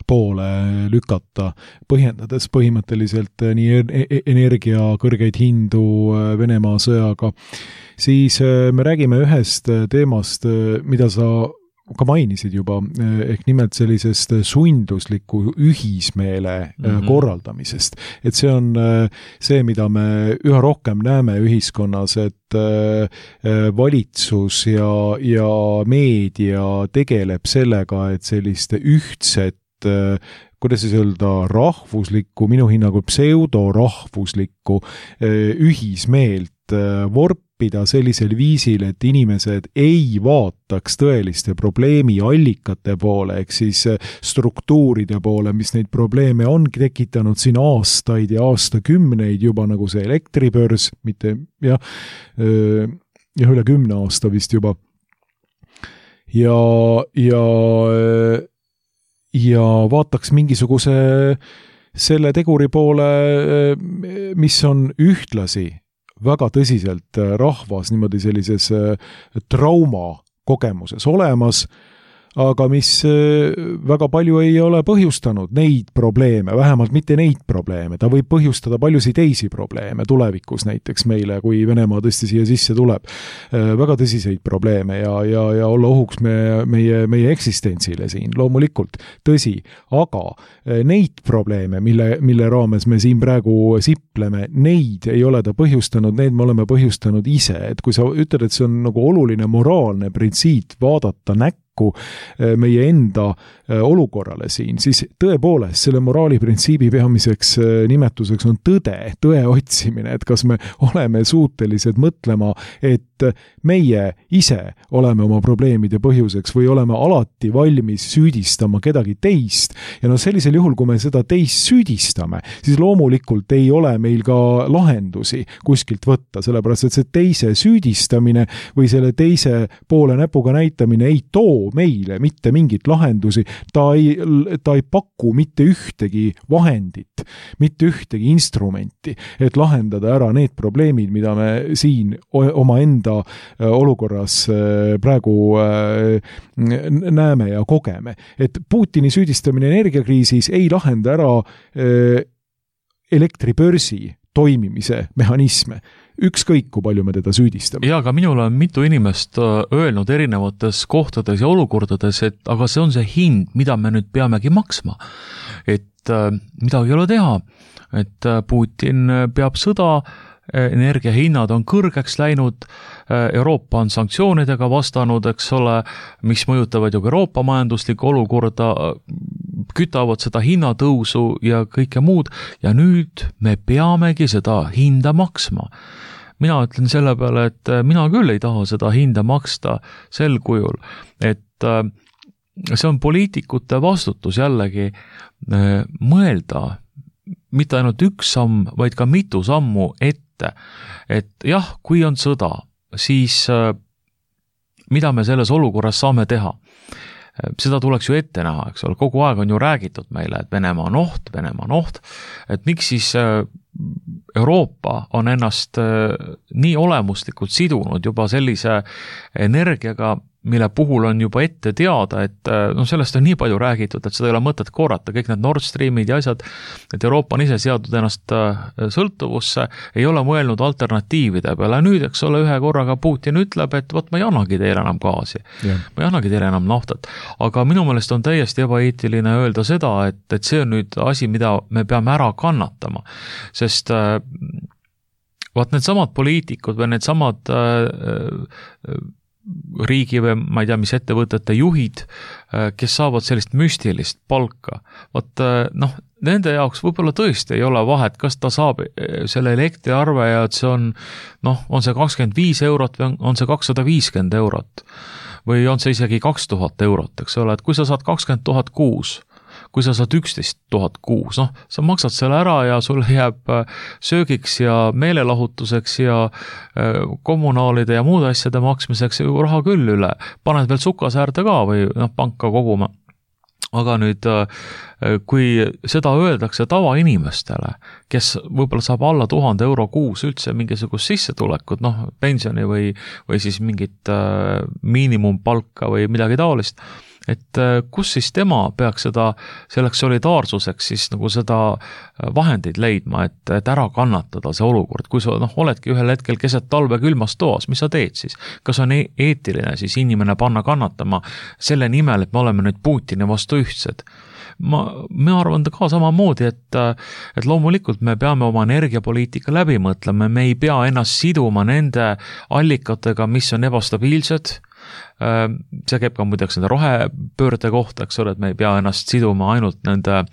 poole lükata, põhjendades põhimõtteliselt nii energia kõrgeid hindu Venemaa sõjaga, siis me räägime ühest teemast, mida sa ka mainisid juba, ehk nimelt sellisest sundusliku ühismeele korraldamisest. Et see on see, mida me üha rohkem näeme ühiskonnas, et valitsus ja meedia tegeleb sellega, et selliste ühtset, kuidas siis öelda, rahvuslikku, minu hinnangul pseudorahvuslikku ühismeelt vorpida sellisel viisil, et inimesed ei vaataks tõeliste probleemi allikate poole, ehk siis struktuuride poole, mis neid probleeme on tekitanud siin aastaid ja aastakümneid juba, nagu see elektribörs, mitte üle 10 aasta vist juba. Ja vaataks mingisuguse selle teguri poole, mis on ühtlasi väga tõsiselt rahvas niimoodi sellises trauma kogemuses olemas, aga mis väga palju ei ole põhjustanud neid probleeme, vähemalt mitte neid probleeme. Ta võib põhjustada paljusid teisi probleeme tulevikus näiteks meile, kui Venemaa tõesti siia sisse tuleb. Väga tõsiseid probleeme ja olla ohuks meie eksistentsile siin, loomulikult tõsi. Aga neid probleeme, mille raames me siin praegu sipleme, neid ei ole ta põhjustanud, need me oleme põhjustanud ise. Et kui sa ütled, et see on nagu oluline moraalne printsiip vaadata näkku meie enda olukorrale siin, siis tõepoolest selle moraaliprintsiibi peamiseks nimetuseks on tõe otsimine, et kas me oleme suutelised mõtlema, et meie ise oleme oma probleemide põhjuseks või oleme alati valmis süüdistama kedagi teist. Ja sellisel juhul, kui me seda teist süüdistame, siis loomulikult ei ole meil ka lahendusi kuskilt võtta, sellepärast et see teise süüdistamine või selle teise poole näpuga näitamine ei too meile mitte mingit lahendusi, ta ei paku mitte ühtegi vahendit, mitte ühtegi instrumenti, et lahendada ära need probleemid, mida me siin oma enda olukorras praegu näeme ja kogeme. Et Putini süüdistamine energiakriisis ei lahenda ära elektribörsi toimimise mehhanisme. Ükskõik, kui palju me teda süüdistame. Ja, aga minul on mitu inimest öelnud erinevates kohtades ja olukordades, et aga see on see hind, mida me nüüd peamegi maksma. Et midagi ei ole teha, et Putin peab sõda, energiahinnad on kõrgeks läinud, Euroopa on sanktsioonidega vastanud, eks ole, mis mõjutavad ju Euroopa majanduslikku olukorda, kütavad seda hinnatõusu ja kõike muud ja nüüd me peamegi seda hinda maksma. Mina ütlen selle peale, et mina küll ei taha seda hinda maksta sel kujul, et see on poliitikute vastutus jällegi mõelda mitte ainult üks samm, vaid ka mitu sammu ette. Et jah, kui on sõda, siis mida me selles olukorras saame teha? seda tuleks ju ette näha, eks ole, kogu aeg on ju räägitud meile, et Venemaa on oht, et miks siis Euroopa on ennast nii olemuslikult sidunud juba sellise energiaga, mille puhul on juba ette teada, et sellest on nii palju räägitud, et seda ei ole mõtet korrata, kõik need Nord Streamid ja asjad, et Euroopa on ise seadnud ennast sõltuvusse, ei ole mõelnud alternatiivide peale. Nüüd, eks ole, ühe korraga Putin ütleb, et ma ei annagi teile enam gaasi, ma ei annagi teile enam naftat. Aga minu meelest on täiesti ebaeetiline öelda seda, et see on nüüd asi, mida me peame ära kannatama, sest need samad poliitikud või need samad riigi või ma ei tea, mis ettevõtete juhid, kes saavad sellist müstilist palka. Nende jaoks võib-olla tõesti ei ole vahet, kas ta saab selle elektriarve ja et see on see 25 eurot või on see 250 eurot või on see isegi 2000 eurot, eks ole, et kui sa saad 20 000 kuus, kui sa saad 11 000 kuus, sa maksad selle ära ja sul jääb söögiks ja meelelahutuseks ja kommunaalide ja muude asjade maksmiseks raha küll üle. Paned veel sukasäärde ka või panka koguma. Aga nüüd, kui seda öeldakse tavainimestele, kes võib-olla saab alla 1000 euro kuus üldse mingisugust sissetulekut, pensioni või siis mingit miinimumpalka või midagi taolist, et kus siis tema peaks seda selleks solidaarsuseks siis nagu seda vahendeid leidma, et ära kannatada see olukord, kui sa oledki ühel hetkel keset talve külmas toas, mis sa teed siis? Kas on eetiline siis inimene panna kannatama selle nimel, et me oleme nüüd Putini vastu ühtsed? Ma arvan ka samamoodi, et loomulikult me peame oma energiapoliitika läbi mõtlema, me ei pea ennast siduma nende allikatega, mis on ebastabiilsed. See käib ka muideks nende rohepöörde kohta, eks ole, et me ei pea ennast siduma ainult nende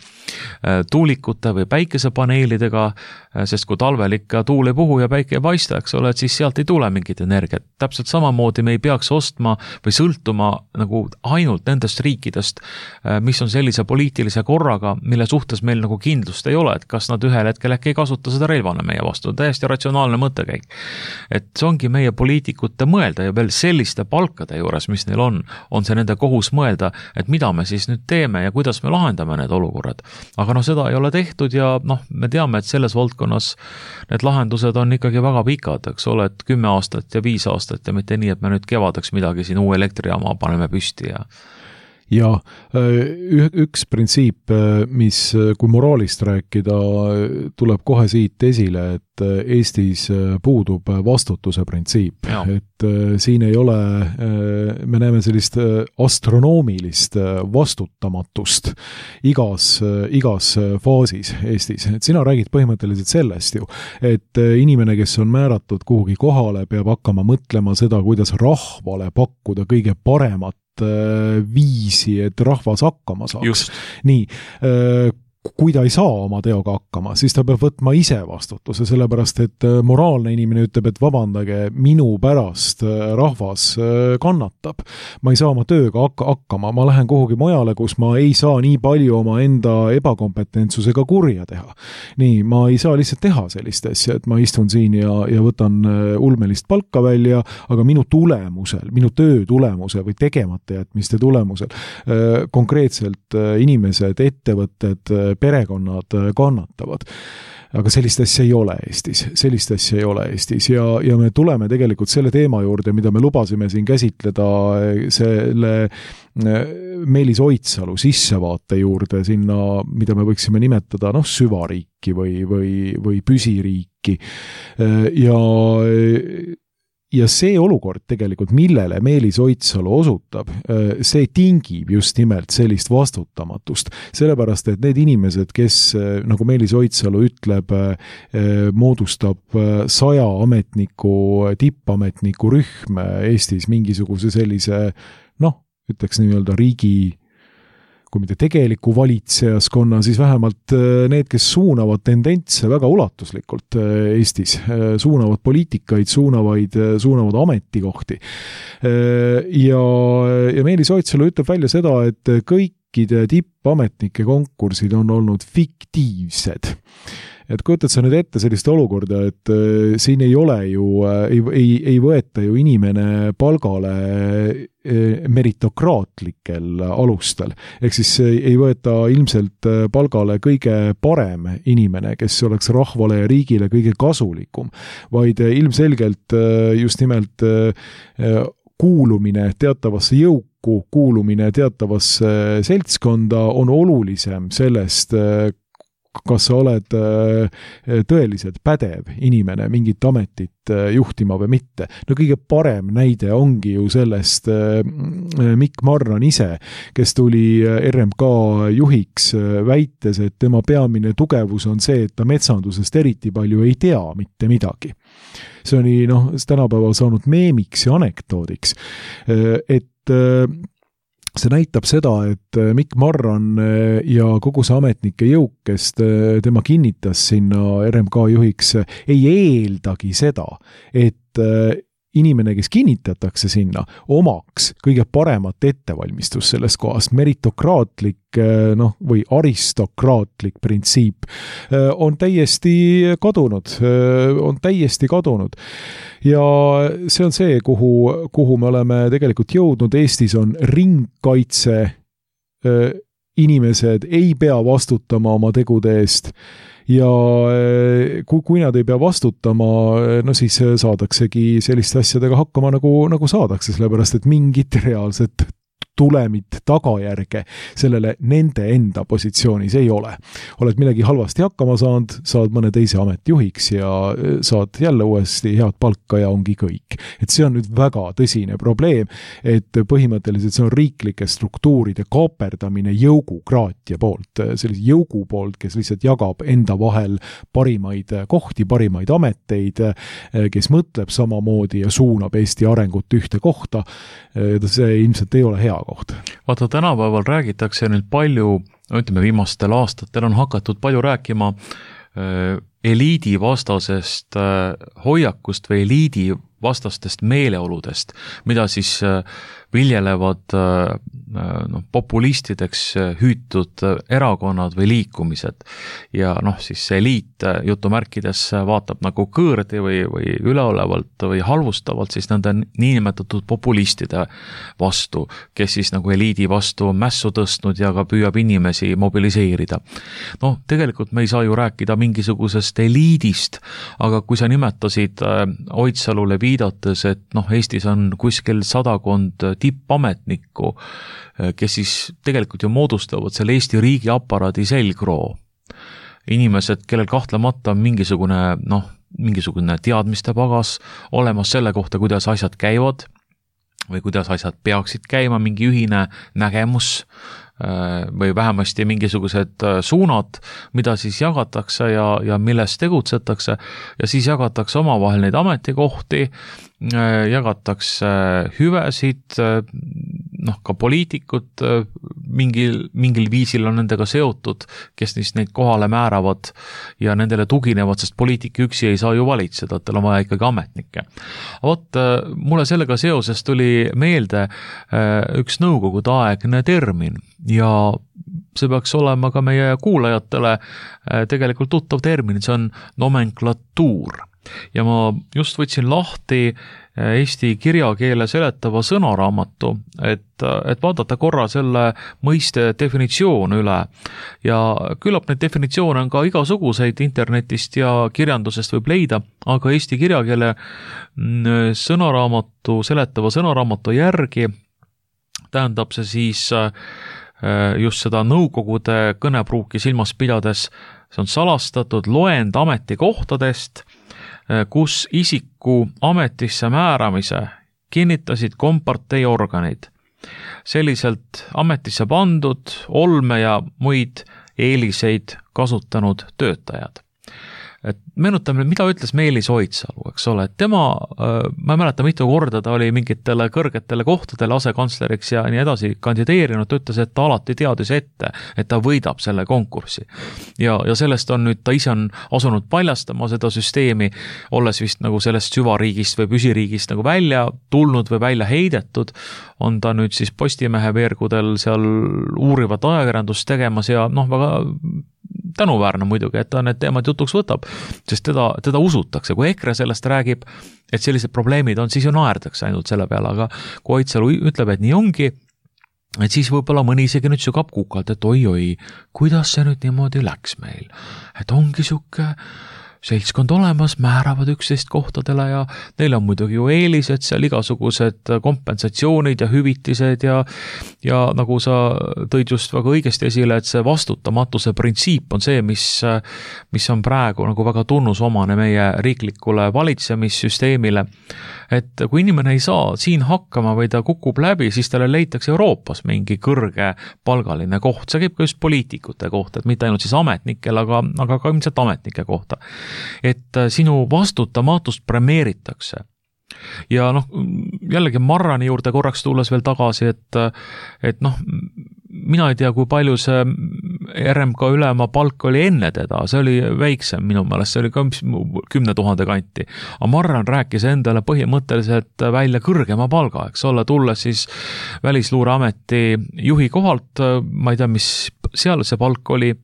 tuulikute või päikesepaneelidega, sest kui talvel ikka tuul ei puhu ja päike ei paista, eks ole, et siis sealt ei tule mingit energiat. Täpselt samamoodi me ei peaks ostma või sõltuma nagu ainult nendest riikidest, mis on sellise poliitilise korraga, mille suhtes meil nagu kindlust ei ole, et kas nad ühel hetkel äkki ei kasuta seda relvana meie vastu. Täiesti ratsionaalne mõttekäik. Et see ongi meie poliitikute mõelda ja veel selliste palkade juures, mis neil on see nende kohus mõelda, et mida me siis nüüd teeme ja kuidas me lahendame need olukorrad. Aga seda ei ole tehtud ja me teame, et selles valdkonnas need lahendused on ikkagi väga pikad, eks ole, et 10 aastat ja 5 aastat ja mitte nii, et me nüüd kevadeks midagi siin uue elektrijaama paneme püsti ja üks printsiip, mis kui moraalist rääkida, tuleb kohe siit esile, et Eestis puudub vastutuse printsiip. Et siin ei ole, me näeme sellist astronoomilist vastutamatust igas faasis Eestis. Et sina räägid põhimõtteliselt sellest ju, et inimene, kes on määratud kuhugi kohale, peab hakkama mõtlema seda, kuidas rahvale pakkuda kõige paremat viisi, et rahvas hakkama saaks. Just. Nii, kui ta ei saa oma teoga hakkama, siis ta peab võtma ise vastutuse, sellepärast et moraalne inimene ütleb, et vabandage, minu pärast rahvas kannatab. Ma ei saa oma tööga hakkama, ma lähen kuhugi mujale, kus ma ei saa nii palju oma enda ebakompetentsusega kurja teha. Nii, ma ei saa lihtsalt teha sellist asja, et ma istun siin ja võtan ulmelist palka välja, aga minu tulemusel, minu töö tulemuse või tegemata jätmiste tulemusel konkreetselt inimesed, ettevõtted, perekonnad kannatavad. Aga sellist asja ei ole Eestis. Ja me tuleme tegelikult selle teema juurde, mida me lubasime siin käsitleda selle Meelis Oidsalu sissevaate juurde sinna, mida me võiksime nimetada süvariiki või püsiriiki. Ja see olukord tegelikult, millele Meelis Oidsalu osutab, see tingib just nimelt sellist vastutamatust. Sellepärast, et need inimesed, kes, nagu Meelis Oidsalu ütleb, moodustab 100 ametniku, tippametniku rühm Eestis mingisuguse sellise, ütleks nii-öelda riigi, kui mitte tegeliku valitsejaskonna, siis vähemalt need, kes suunavad tendentse väga ulatuslikult Eestis, suunavad poliitikaid, suunavad ametikohti. Ja Meelis Oidsalu ütleb välja seda, et kõik riikide tippametnike konkursid on olnud fiktiivsed. Et kujutad sa nüüd ette sellist olukorda, et siin ei ole ju, ei võeta ju inimene palgale meritokraatlikel alustel. Ehk siis ei võeta ilmselt palgale kõige parem inimene, kes oleks rahvale ja riigile kõige kasulikum, vaid ilmselgelt just nimelt kuulumine teatavasse jõuku, kuulumine teatavasse seltskonda on olulisem sellest, kas sa oled tõeliselt pädev inimene mingit ametit juhtima või mitte. No kõige parem näide ongi ju sellest Mikk Marran ise, kes tuli RMK juhiks väites, et tema peamine tugevus on see, et ta metsandusest eriti palju ei tea mitte midagi. See oli tänapäeval saanud meemiks ja anekdoodiks, et see näitab seda, et Mikk Marran ja kogu see ametnike jõuk, kes tema kinnitas sinna RMK juhiks, ei eeldagi seda, et inimene, kes kinnitatakse sinna, omaks kõige paremat ettevalmistust sellest kohast. Meritokraatlik või aristokraatlik printsiip on täiesti kadunud. Ja see on see, kuhu me oleme tegelikult jõudnud. Eestis on ringkaitse, inimesed ei pea vastutama oma tegude eest ja kui nad ei pea vastutama, siis saadaksegi selliste asjadega hakkama nagu saadakse, sellepärast et mingit reaalset tulemit, tagajärge sellele nende enda positsioonis ei ole. Oled millegi halvasti hakkama saanud, saad mõne teise ametjuhiks ja saad jälle uuesti head palka ja ongi kõik. Et see on nüüd väga tõsine probleem, et põhimõtteliselt see on riiklike struktuuride kaaperdamine jõugukraatia poolt, sellise jõugu poolt, kes lihtsalt jagab enda vahel parimaid kohti, parimaid ameteid, kes mõtleb samamoodi ja suunab Eesti arengut ühte kohta. See ilmselt ei ole hea koht. Vaata, tänapäeval räägitakse nüüd palju, ütleme viimastel aastatel on hakatud palju rääkima eliidi vastasest hoiakust või eliidi vastastest meeleoludest, mida siis viljelevad populistideks hüütud erakonnad või liikumised. Ja siis see eliit jutumärkides vaatab nagu kõõrdi või üleolevalt või halvustavalt siis nende niinimetatud populistide vastu, kes siis nagu eliidi vastu mässu tõstnud ja ka püüab inimesi mobiliseerida. Tegelikult me ei saa ju rääkida mingisugusest eliidist, aga kui sa nimetasid Oidsalule viidates, et Eestis on kuskil 100 tippametnikku, kes siis tegelikult ju moodustavad selle Eesti riigi aparaadi selgroo. Inimesed, kellel kahtlemata on mingisugune teadmiste pagas olemas selle kohta, kuidas asjad käivad või kuidas asjad peaksid käima, mingi ühine nägemus või vähemasti mingisugused suunad, mida siis jagatakse ja milles tegutsetakse ja siis jagatakse omavahel neid ametikohti, jagatakse hüvesid, ka poliitikud mingil viisil on nendega seotud, kes neid kohale määravad ja nendele tuginevad, sest poliitik üksi ei saa ju valitseda, et tal on vaja ikkagi ametnikke. Mulle sellega seoses tuli meelde üks nõukogude aegne termin ja see peaks olema ka meie kuulajatele tegelikult tuttav termin, see on nomenklatuur. Ja ma just võtsin lahti Eesti kirjakeele seletava sõnaraamatu, et vaadata korra selle mõiste definitsioon üle ja küllap neid definitsioone on ka igasuguseid internetist ja kirjandusest võib leida, aga Eesti kirjakeele seletava sõnaraamatu järgi tähendab see siis just seda nõukogude kõnepruuki silmas pidades, see on salastatud loend ametikohtadest, kus isiku ametisse määramise kinnitasid kompartei organid. Selliselt ametisse pandud olme ja muid eeliseid kasutanud töötajad. et meenutame, mida ütles Meelis Oidsalu, eks ole, et tema, ma ei mäleta mitu korda ta oli mingitele kõrgetele kohtadele asekantsleriks ja nii edasi kandideerinud, ta ütles, et ta alati teadis ette, et ta võidab selle konkurssi. Ja sellest on nüüd, ta ise on asunud paljastama seda süsteemi, olles vist nagu sellest süvariigist või püsiriigist nagu välja tulnud või välja heidetud, on ta nüüd siis Postimehe veergudel seal uurivat ajakirjandust tegemas ja väga tänuväärne muidugi, et ta need teemad jutuks võtab, sest teda usutakse. Kui EKRE sellest räägib, et sellised probleemid on, siis ju naerdakse ainult selle peale, aga kui Oidsalu ütleb, et nii ongi, et siis võib-olla mõni isegi nüüd sügab kukalt, et oi, kuidas see nüüd niimoodi läks meil. Et ongi siuke seltskond olemas, määravad 11 kohtadele ja neil on muidugi ju eelised seal igasugused kompensatsioonid ja hüvitised ja nagu sa tõid just väga õigesti esile, et see vastutamatuse printsiip on see, mis on praegu nagu väga tunnusomane meie riiklikule valitsemissüsteemile. Et kui inimene ei saa siin hakkama või ta kukub läbi, siis talle leitakse Euroopas mingi kõrge palgaline koht. See käib ka just poliitikute kohta, et mitte ainult siis ametnikel, aga ka ilmselt ametnike kohta. Et sinu vastutamatust premeeritakse. Ja jällegi Marrani juurde korraks tulles veel tagasi, et mina ei tea, kui palju see RMK ülema palk oli enne teda, see oli väiksem minu meelest, see oli ka 10 000 kanti. Aga Marran rääkis endale põhimõtteliselt välja kõrgema palga, eks ole, tulles siis Välisluureameti juhi kohalt, ma ei tea, mis seal see palk oli,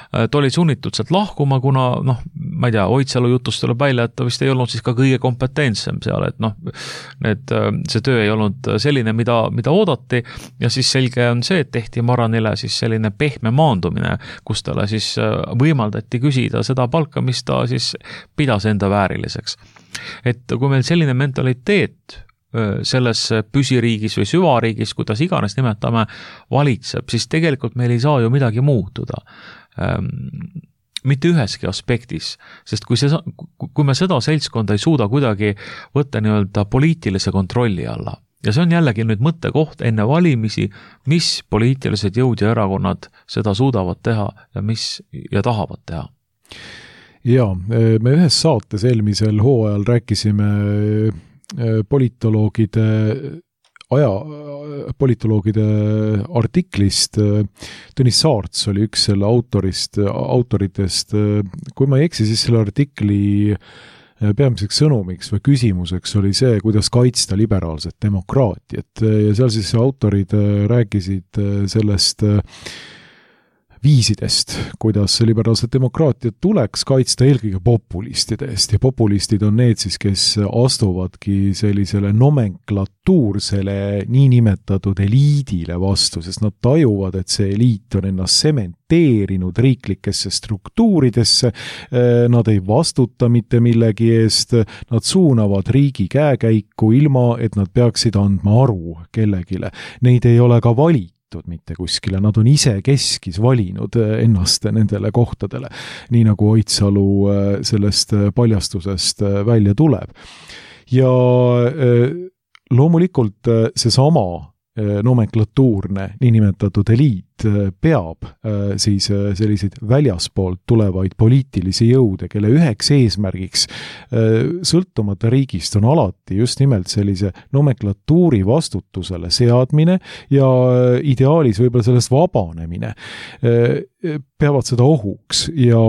ta oli sunnitud sealt lahkuma, kuna ma ei tea, Oidsalu jutust tuleb välja, et ta vist ei olnud siis ka kõige kompetentsem seal, et see töö ei olnud selline, mida oodati ja siis selge on see, et tehti Marranile siis selline pehme maandumine, kus talle siis võimaldati küsida seda palka, mis ta siis pidas enda vääriliseks. Et kui meil selline mentaliteet selles püsiriigis või süvariigis, kuidas iganes nimetame, valitseb, siis tegelikult meil ei saa ju midagi muutuda. Mitte üheski aspektis, sest kui me seda seltskonda ei suuda kuidagi võtta nii-öelda poliitilise kontrolli alla, ja see on jällegi nüüd mõttekoht enne valimisi, mis poliitilised jõud ja erakonnad seda suudavad teha ja tahavad teha. Ja, me ühes saates eelmisel hooajal rääkisime politoloogide artiklist. Tõnis Saarts oli üks selle autoritest. Kui ma ei eksi, siis selle artikli peamiseks sõnumiks või küsimuseks oli see, kuidas kaitsta liberaalset demokraatiat. Ja seal siis autorid rääkisid sellest viisidest, kuidas liberaalset demokraatiat tuleks kaitsta eelkõige populistide eest ja populistid on need siis, kes astuvadki sellisele nomenklatuursele niinimetatud eliidile vastu, sest nad tajuvad, et see eliit on ennast sementeerinud riiklikesse struktuuridesse, nad ei vastuta mitte millegi eest, nad suunavad riigi käekäiku ilma, et nad peaksid andma aru kellegile. Neid ei ole ka valitud mitte kuskile, nad on ise keskis valinud ennast nendele kohtadele, nii nagu Oidsalu sellest paljastusest välja tuleb. Ja loomulikult seesama nomenklatuurne niinimetatud eliit peab siis selliseid väljaspoolt tulevaid poliitilisi jõude, kelle üheks eesmärgiks sõltumata riigist on alati just nimelt sellise nomenklatuuri vastutusele seadmine ja ideaalis võib-olla sellest vabanemine, peavad seda ohuks ja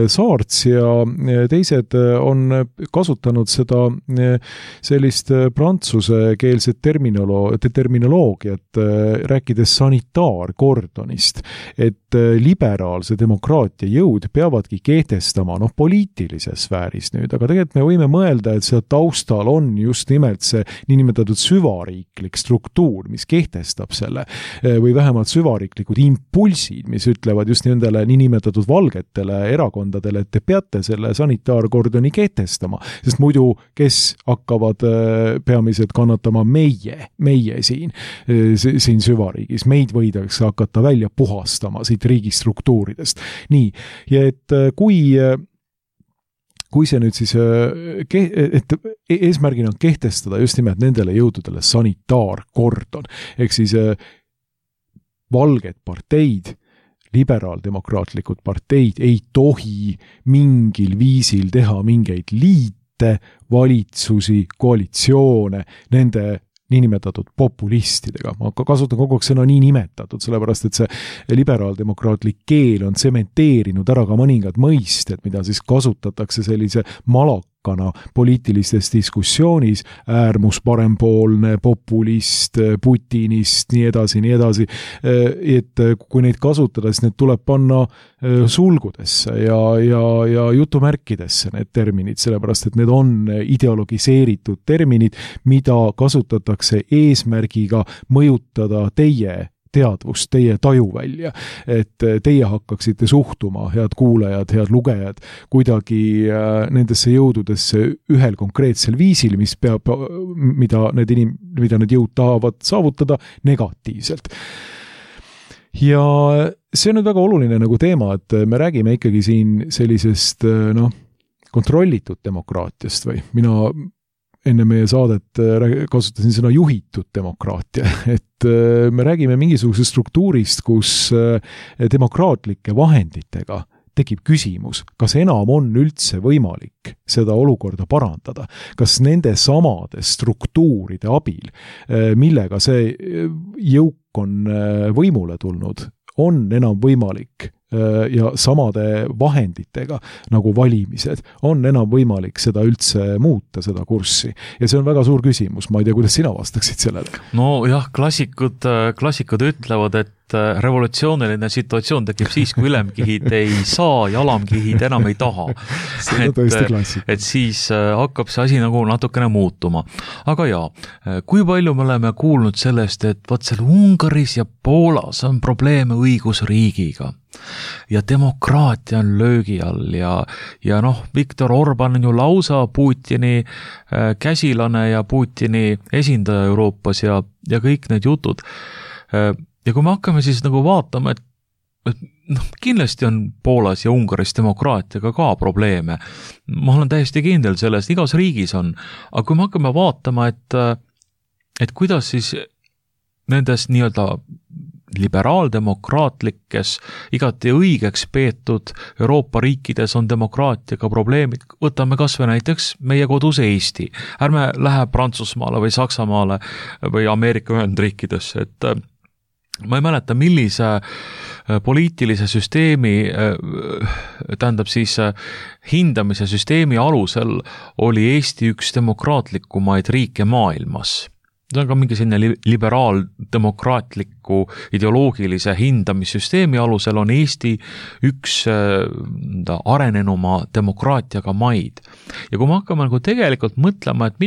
Saarts ja teised on kasutanud seda sellist prantsusekeelset terminoloogiat, rääkides sanitaarkordonist, et liberaalse demokraatia jõud peavadki kehtestama poliitilises sfääris nüüd, aga tegelikult me võime mõelda, et seal taustal on just nimelt see niinimetatud süvariiklik struktuur, mis kehtestab selle või vähemalt süvariiklikud impulsid, mis ütlevad just nendele niinimetatud valgetele erakondadele, et te peate selle sanitaarkordoni kehtestama, sest muidu kes hakkavad peamiselt kannatama meie siin süvariigis, meid võidakse hakata välja puhastama siit riigistruktuuridest. Nii, ja et kui see nüüd siis, et eesmärgina on kehtestada just nimelt nendele jõududele sanitaarkordon, ehk siis valged parteid liberaaldemokraatlikud parteid ei tohi mingil viisil teha mingeid liite, valitsusi, koalitsioone nende niinimetatud populistidega. Ma kasutan kogu aeg sõna niinimetatud, sellepärast et see liberaaldemokraatlik keel on tsementeerinud ära ka mõningad mõisted, mida siis kasutatakse sellise malakana poliitilistes diskussioonis, äärmus, parempoolne, populist, putinist, nii edasi, et kui neid kasutada, siis need tuleb panna sulgudesse ja jutumärkidesse need terminid, sellepärast et need on ideologiseeritud terminid, mida kasutatakse eesmärgiga mõjutada teie teadvust, teie tajuvälja, et teie hakkaksite suhtuma, head kuulajad, head lugejad, kuidagi nendesse jõududesse ühel konkreetsel viisil, mida need jõud tahavad saavutada negatiivselt. Ja see on nüüd väga oluline nagu teema, et me räägime ikkagi siin sellisest kontrollitud demokraatiast või mina enne meie saadet kasutasin sõna juhitud demokraatia, et me räägime mingisugusest struktuurist, kus demokraatlike vahenditega tekib küsimus, kas enam on üldse võimalik seda olukorda parandada, kas nende samade struktuuride abil, millega see jõuk on võimule tulnud, on enam võimalik ja samade vahenditega nagu valimised, on enam võimalik seda üldse muuta, seda kurssi. Ja see on väga suur küsimus, ma ei tea, kuidas sina vastaksid sellele. No jah, klassikud ütlevad, et revolutsiooniline situatsioon tekib siis, kui ülemkihid ei saa ja alamkihid enam ei taha. See on tõesti klassik. Et siis hakkab see asi nagu natukene muutuma. Aga jaa, kui palju me oleme kuulnud sellest, et võt seal Ungaris ja Poolas on probleeme õigusriigiga ja demokraatia on löögi all ja Viktor Orban on ju lausa Putini käsilane ja Putini esindaja Euroopas ja kõik need jutud. Ja kui me hakkame siis nagu vaatama, et kindlasti on Poolas ja Ungaris demokraatiaga ka probleeme. Ma olen täiesti kindel sellest, igas riigis on. Aga kui me hakkame vaatama, et kuidas siis nendes nii-öelda liberaaldemokraatlikes, igati õigeks peetud Euroopa riikides on demokraatiaga probleemid. Võtame kas või näiteks meie kodus Eesti. Ärme lähe Prantsusmaale või Saksamaale või Ameerika Ühendriikidesse, et ma ei mäleta, millise poliitilise süsteemi, tähendab siis hindamise süsteemi alusel oli Eesti üks demokraatlikumaid riike maailmas. See on ka mingi selline liberaaldemokraatliku ideoloogilise hindamissüsteemi alusel on Eesti üks arenenuma demokraatiaga maid. Ja kui me hakkame nagu tegelikult mõtlema, et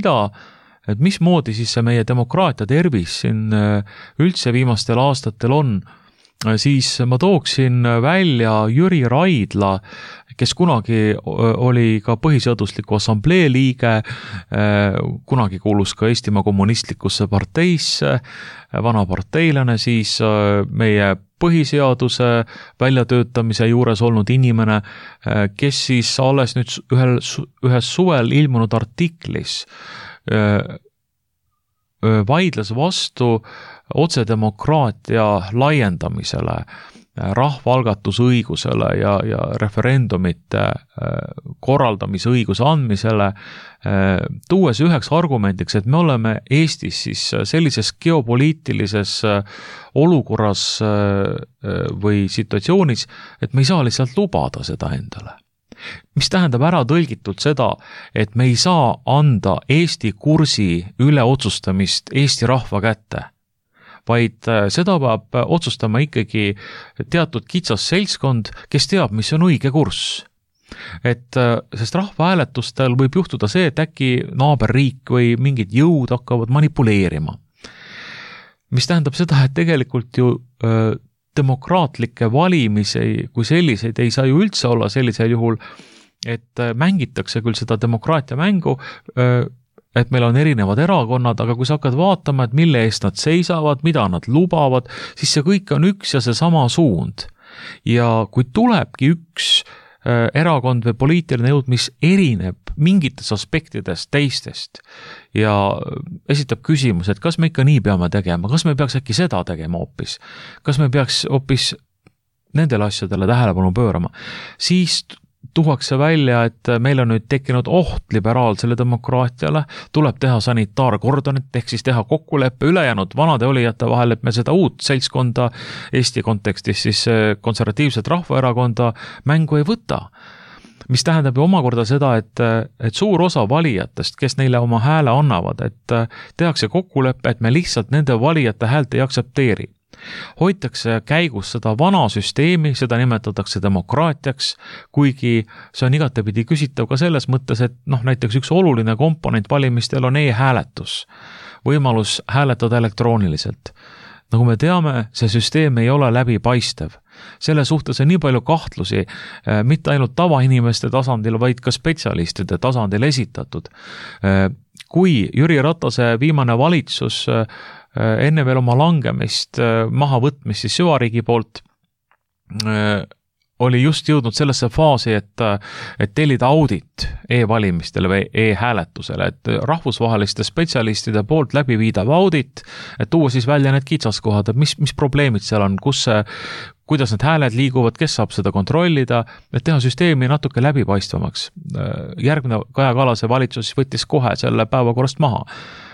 mismoodi siis see meie demokraatia tervis siin üldse viimastel aastatel on, siis ma tooksin välja Jüri Raidla, kes kunagi oli ka põhiseadusliku assamblee liige, kunagi kuulus ka Eestimaa kommunistlikusse parteisse, vana parteilane, siis meie põhiseaduse väljatöötamise juures olnud inimene, kes siis alles nüüd ühes suvel ilmunud artiklis vaidles vastu otsedemokraatia laiendamisele, rahvaalgatusõigusele ja referendumite korraldamise õiguse andmisele, tuues üheks argumendiks, et me oleme Eestis siis sellises geopoliitilises olukorras või situatsioonis, et me ei saa lihtsalt lubada seda endale. Mis tähendab ära tõlgitult seda, et me ei saa anda Eesti kursi üle otsustamist Eesti rahva kätte, vaid seda peab otsustama ikkagi teatud kitsas seltskond, kes teab, mis on õige kurss. Sest rahvahääletustel võib juhtuda see, et äkki naaberriik või mingid jõud hakkavad manipuleerima. Mis tähendab seda, et tegelikult ju demokraatlikke valimisi kui selliseid ei saa ju üldse olla sellisel juhul, et mängitakse küll seda demokraatia mängu, et meil on erinevad erakonnad, aga kui sa hakkad vaatama, et mille eest nad seisavad, mida nad lubavad, siis see kõik on üks ja see sama suund. Ja kui tulebki üks erakond või poliitiline jõud, mis erineb mingites aspektides teistest ja esitab küsimus, et kas me ikka nii peame tegema, kas me peaks äkki seda tegema hoopis, kas me peaks hoopis nendele asjadele tähelepanu pöörama. Siis tuuakse välja, et meil on nüüd tekkinud oht liberaalsele demokraatiale, tuleb teha sanitaarkordonit, ehk siis teha kokkuleppe ülejäänud vanade olijate vahel, et me seda uut seltskonda Eesti kontekstis siis konservatiivset rahvaerakonda mängu ei võta. Mis tähendab ju omakorda seda, et suur osa valijatest, kes neile oma hääle annavad, et tehakse kokkuleppe, et me lihtsalt nende valijate häält ei aktsepteeri. Hoitakse käigus seda vana süsteemi, seda nimetatakse demokraatiaks, kuigi see on igatepidi küsitav ka selles mõttes, et näiteks üks oluline komponent valimistel on e-hääletus, võimalus hääletada elektrooniliselt. Nagu me teame, see süsteem ei ole läbipaistev. Selle suhtes on nii palju kahtlusi, mitte ainult tavainimeste tasandil, vaid ka spetsialistide tasandil esitatud. Kui Jüri Ratase viimane valitsus enne veel oma langemist, mahavõtmist siis süvariigi poolt, oli just jõudnud sellesse faasi, et tellida audit e-valimistele või e-hääletusele, et rahvusvaheliste spetsialistide poolt läbi viidav audit, et tuua siis välja need kitsaskohad, et mis probleemid seal on, kuidas need hääled liiguvad, kes saab seda kontrollida, et teha süsteemi natuke läbipaistvamaks. Järgmine Kaja Kallase valitsus võttis kohe selle päevakorrast maha.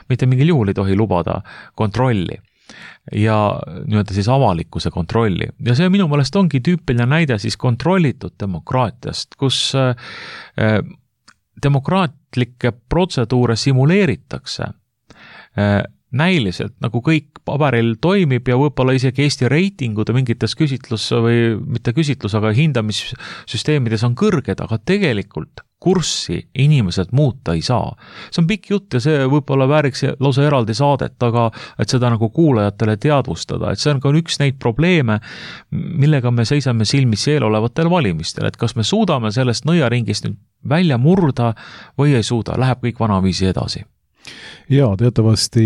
Mitte mingil juhul ei tohi lubada kontrolli ja nii-öelda siis avalikkuse kontrolli. Ja see minu meelest ongi tüüpiline näide siis kontrollitud demokraatiast, kus demokraatlikke protseduure simuleeritakse näiliselt, nagu kõik paberil toimib ja võib-olla isegi Eesti reitingud mingites mitte küsitlus, aga hindamissüsteemides on kõrged, aga tegelikult kurssi inimesed muuta ei saa. See on pikk jutt ja see võib-olla vääriks lausa eraldi saadet, aga et seda nagu kuulajatele teadvustada, et see on ka üks neid probleeme, millega me seisame silmis eelolevatel valimistel, et kas me suudame sellest nõiaringist nüüd välja murda või ei suuda, läheb kõik vanaviisi edasi. Jaa, teatavasti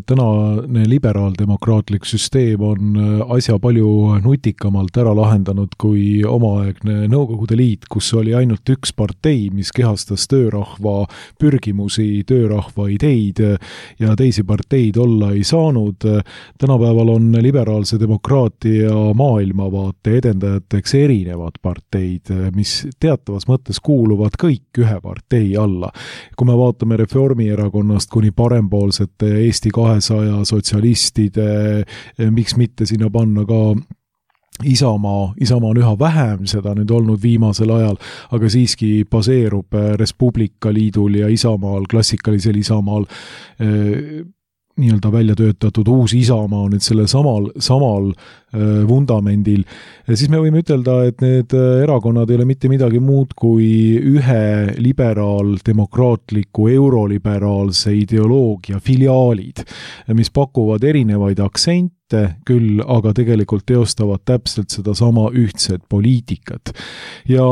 tänane liberaaldemokraatlik süsteem on asja palju nutikamalt ära lahendanud kui omaaegne Nõukogude Liit, kus oli ainult üks partei, mis kehastas töörahva pürgimusi, töörahva ideid ja teisi parteid olla ei saanud. Tänapäeval on liberaalse demokraatia maailmavaate edendajateks erinevad parteid, mis teatavas mõttes kuuluvad kõik ühe partei alla. Kui me vaatame Reformierakonnast kuni parempoolsete Eesti 200 sotsialistide, miks mitte sinna panna ka Isamaa on üha vähem seda nüüd olnud viimasel ajal, aga siiski baseerub Res Publica Liidul ja Isamaal, klassikalisel Isamaal nii-öelda välja töötatud uus Isamaa on nüüd selle samal vundamendil, siis me võime ütelda, et need erakonnad ei ole mitte midagi muud kui ühe liberaal-demokraatliku euroliberaalse ideoloogia filiaalid, mis pakuvad erinevaid aktsente küll, aga tegelikult teostavad täpselt seda sama ühtset poliitikat. Ja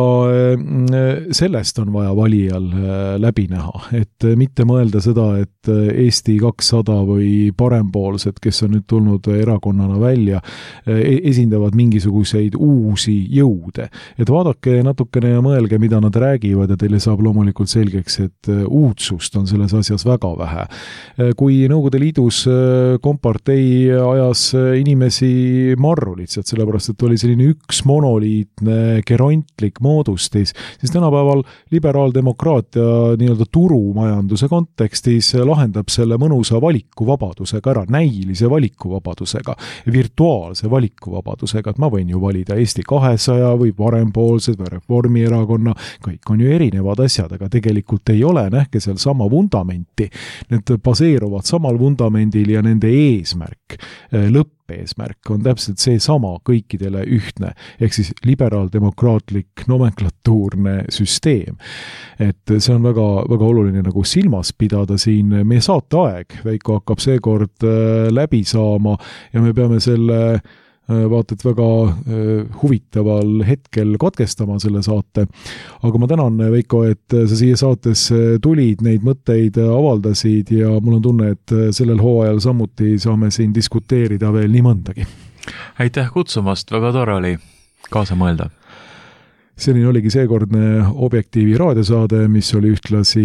sellest on vaja valijal läbi näha, et mitte mõelda seda, et Eesti 200 või parempoolsed, kes on nüüd tulnud erakonnana välja, esindavad mingisuguseid uusi jõude. Et vaadake natukene ja mõelge, mida nad räägivad ja teile saab loomulikult selgeks, et uudsust on selles asjas väga vähe. Kui Nõukogude Liidus kompartei ajas inimesi marru lihtsalt, sellepärast, et oli selline üks monoliitne gerontlik moodustis, siis tänapäeval liberaaldemokraatia nii-öelda turumajanduse kontekstis lahendab selle mõnusa valikuvabadusega ära, näilise valikuvabadusega, virtuaalse valikuvabadusega, et ma võin ju valida Eesti 200 või parempoolsed või Reformierakonna, kõik on ju erinevad asjad, aga tegelikult ei ole, nähke seal sama vundamenti. Need baseeruvad samal vundamendil ja nende eesmärk, lõppeesmärk on täpselt see sama kõikidele ühtne, ehk siis liberaaldemokraatlik nomenklatuurne süsteem. Et see on väga, väga oluline nagu silmas pidada siin. Meie saateaeg, Veiko, hakkab seekord läbi saama ja me peame selle vaata, et väga huvitaval hetkel katkestama selle saate. Aga ma tänan, Veiko, et sa siia saatesse tulid, neid mõtteid avaldasid ja mul on tunne, et sellel hooajal samuti saame siin diskuteerida veel nii mõndagi. Aitäh kutsumast, väga tore oli kaasa mõelda. selline oligi seekordne Objektiivi raadiosaade, mis oli ühtlasi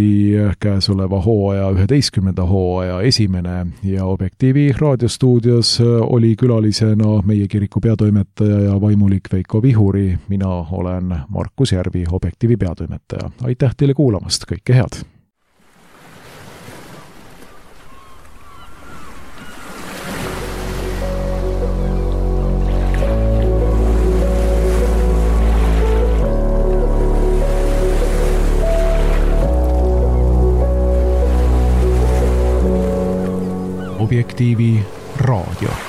käesoleva hooaja 11. hooaja esimene ja Objektiivi raadiostuudios oli külalisena meie kiriku peatoimetaja ja vaimulik Veiko Vihuri. Mina olen Markus Järvi, Objektiivi peatoimetaja. Aitäh teile kuulamast, kõike head! Objektiivi raadio.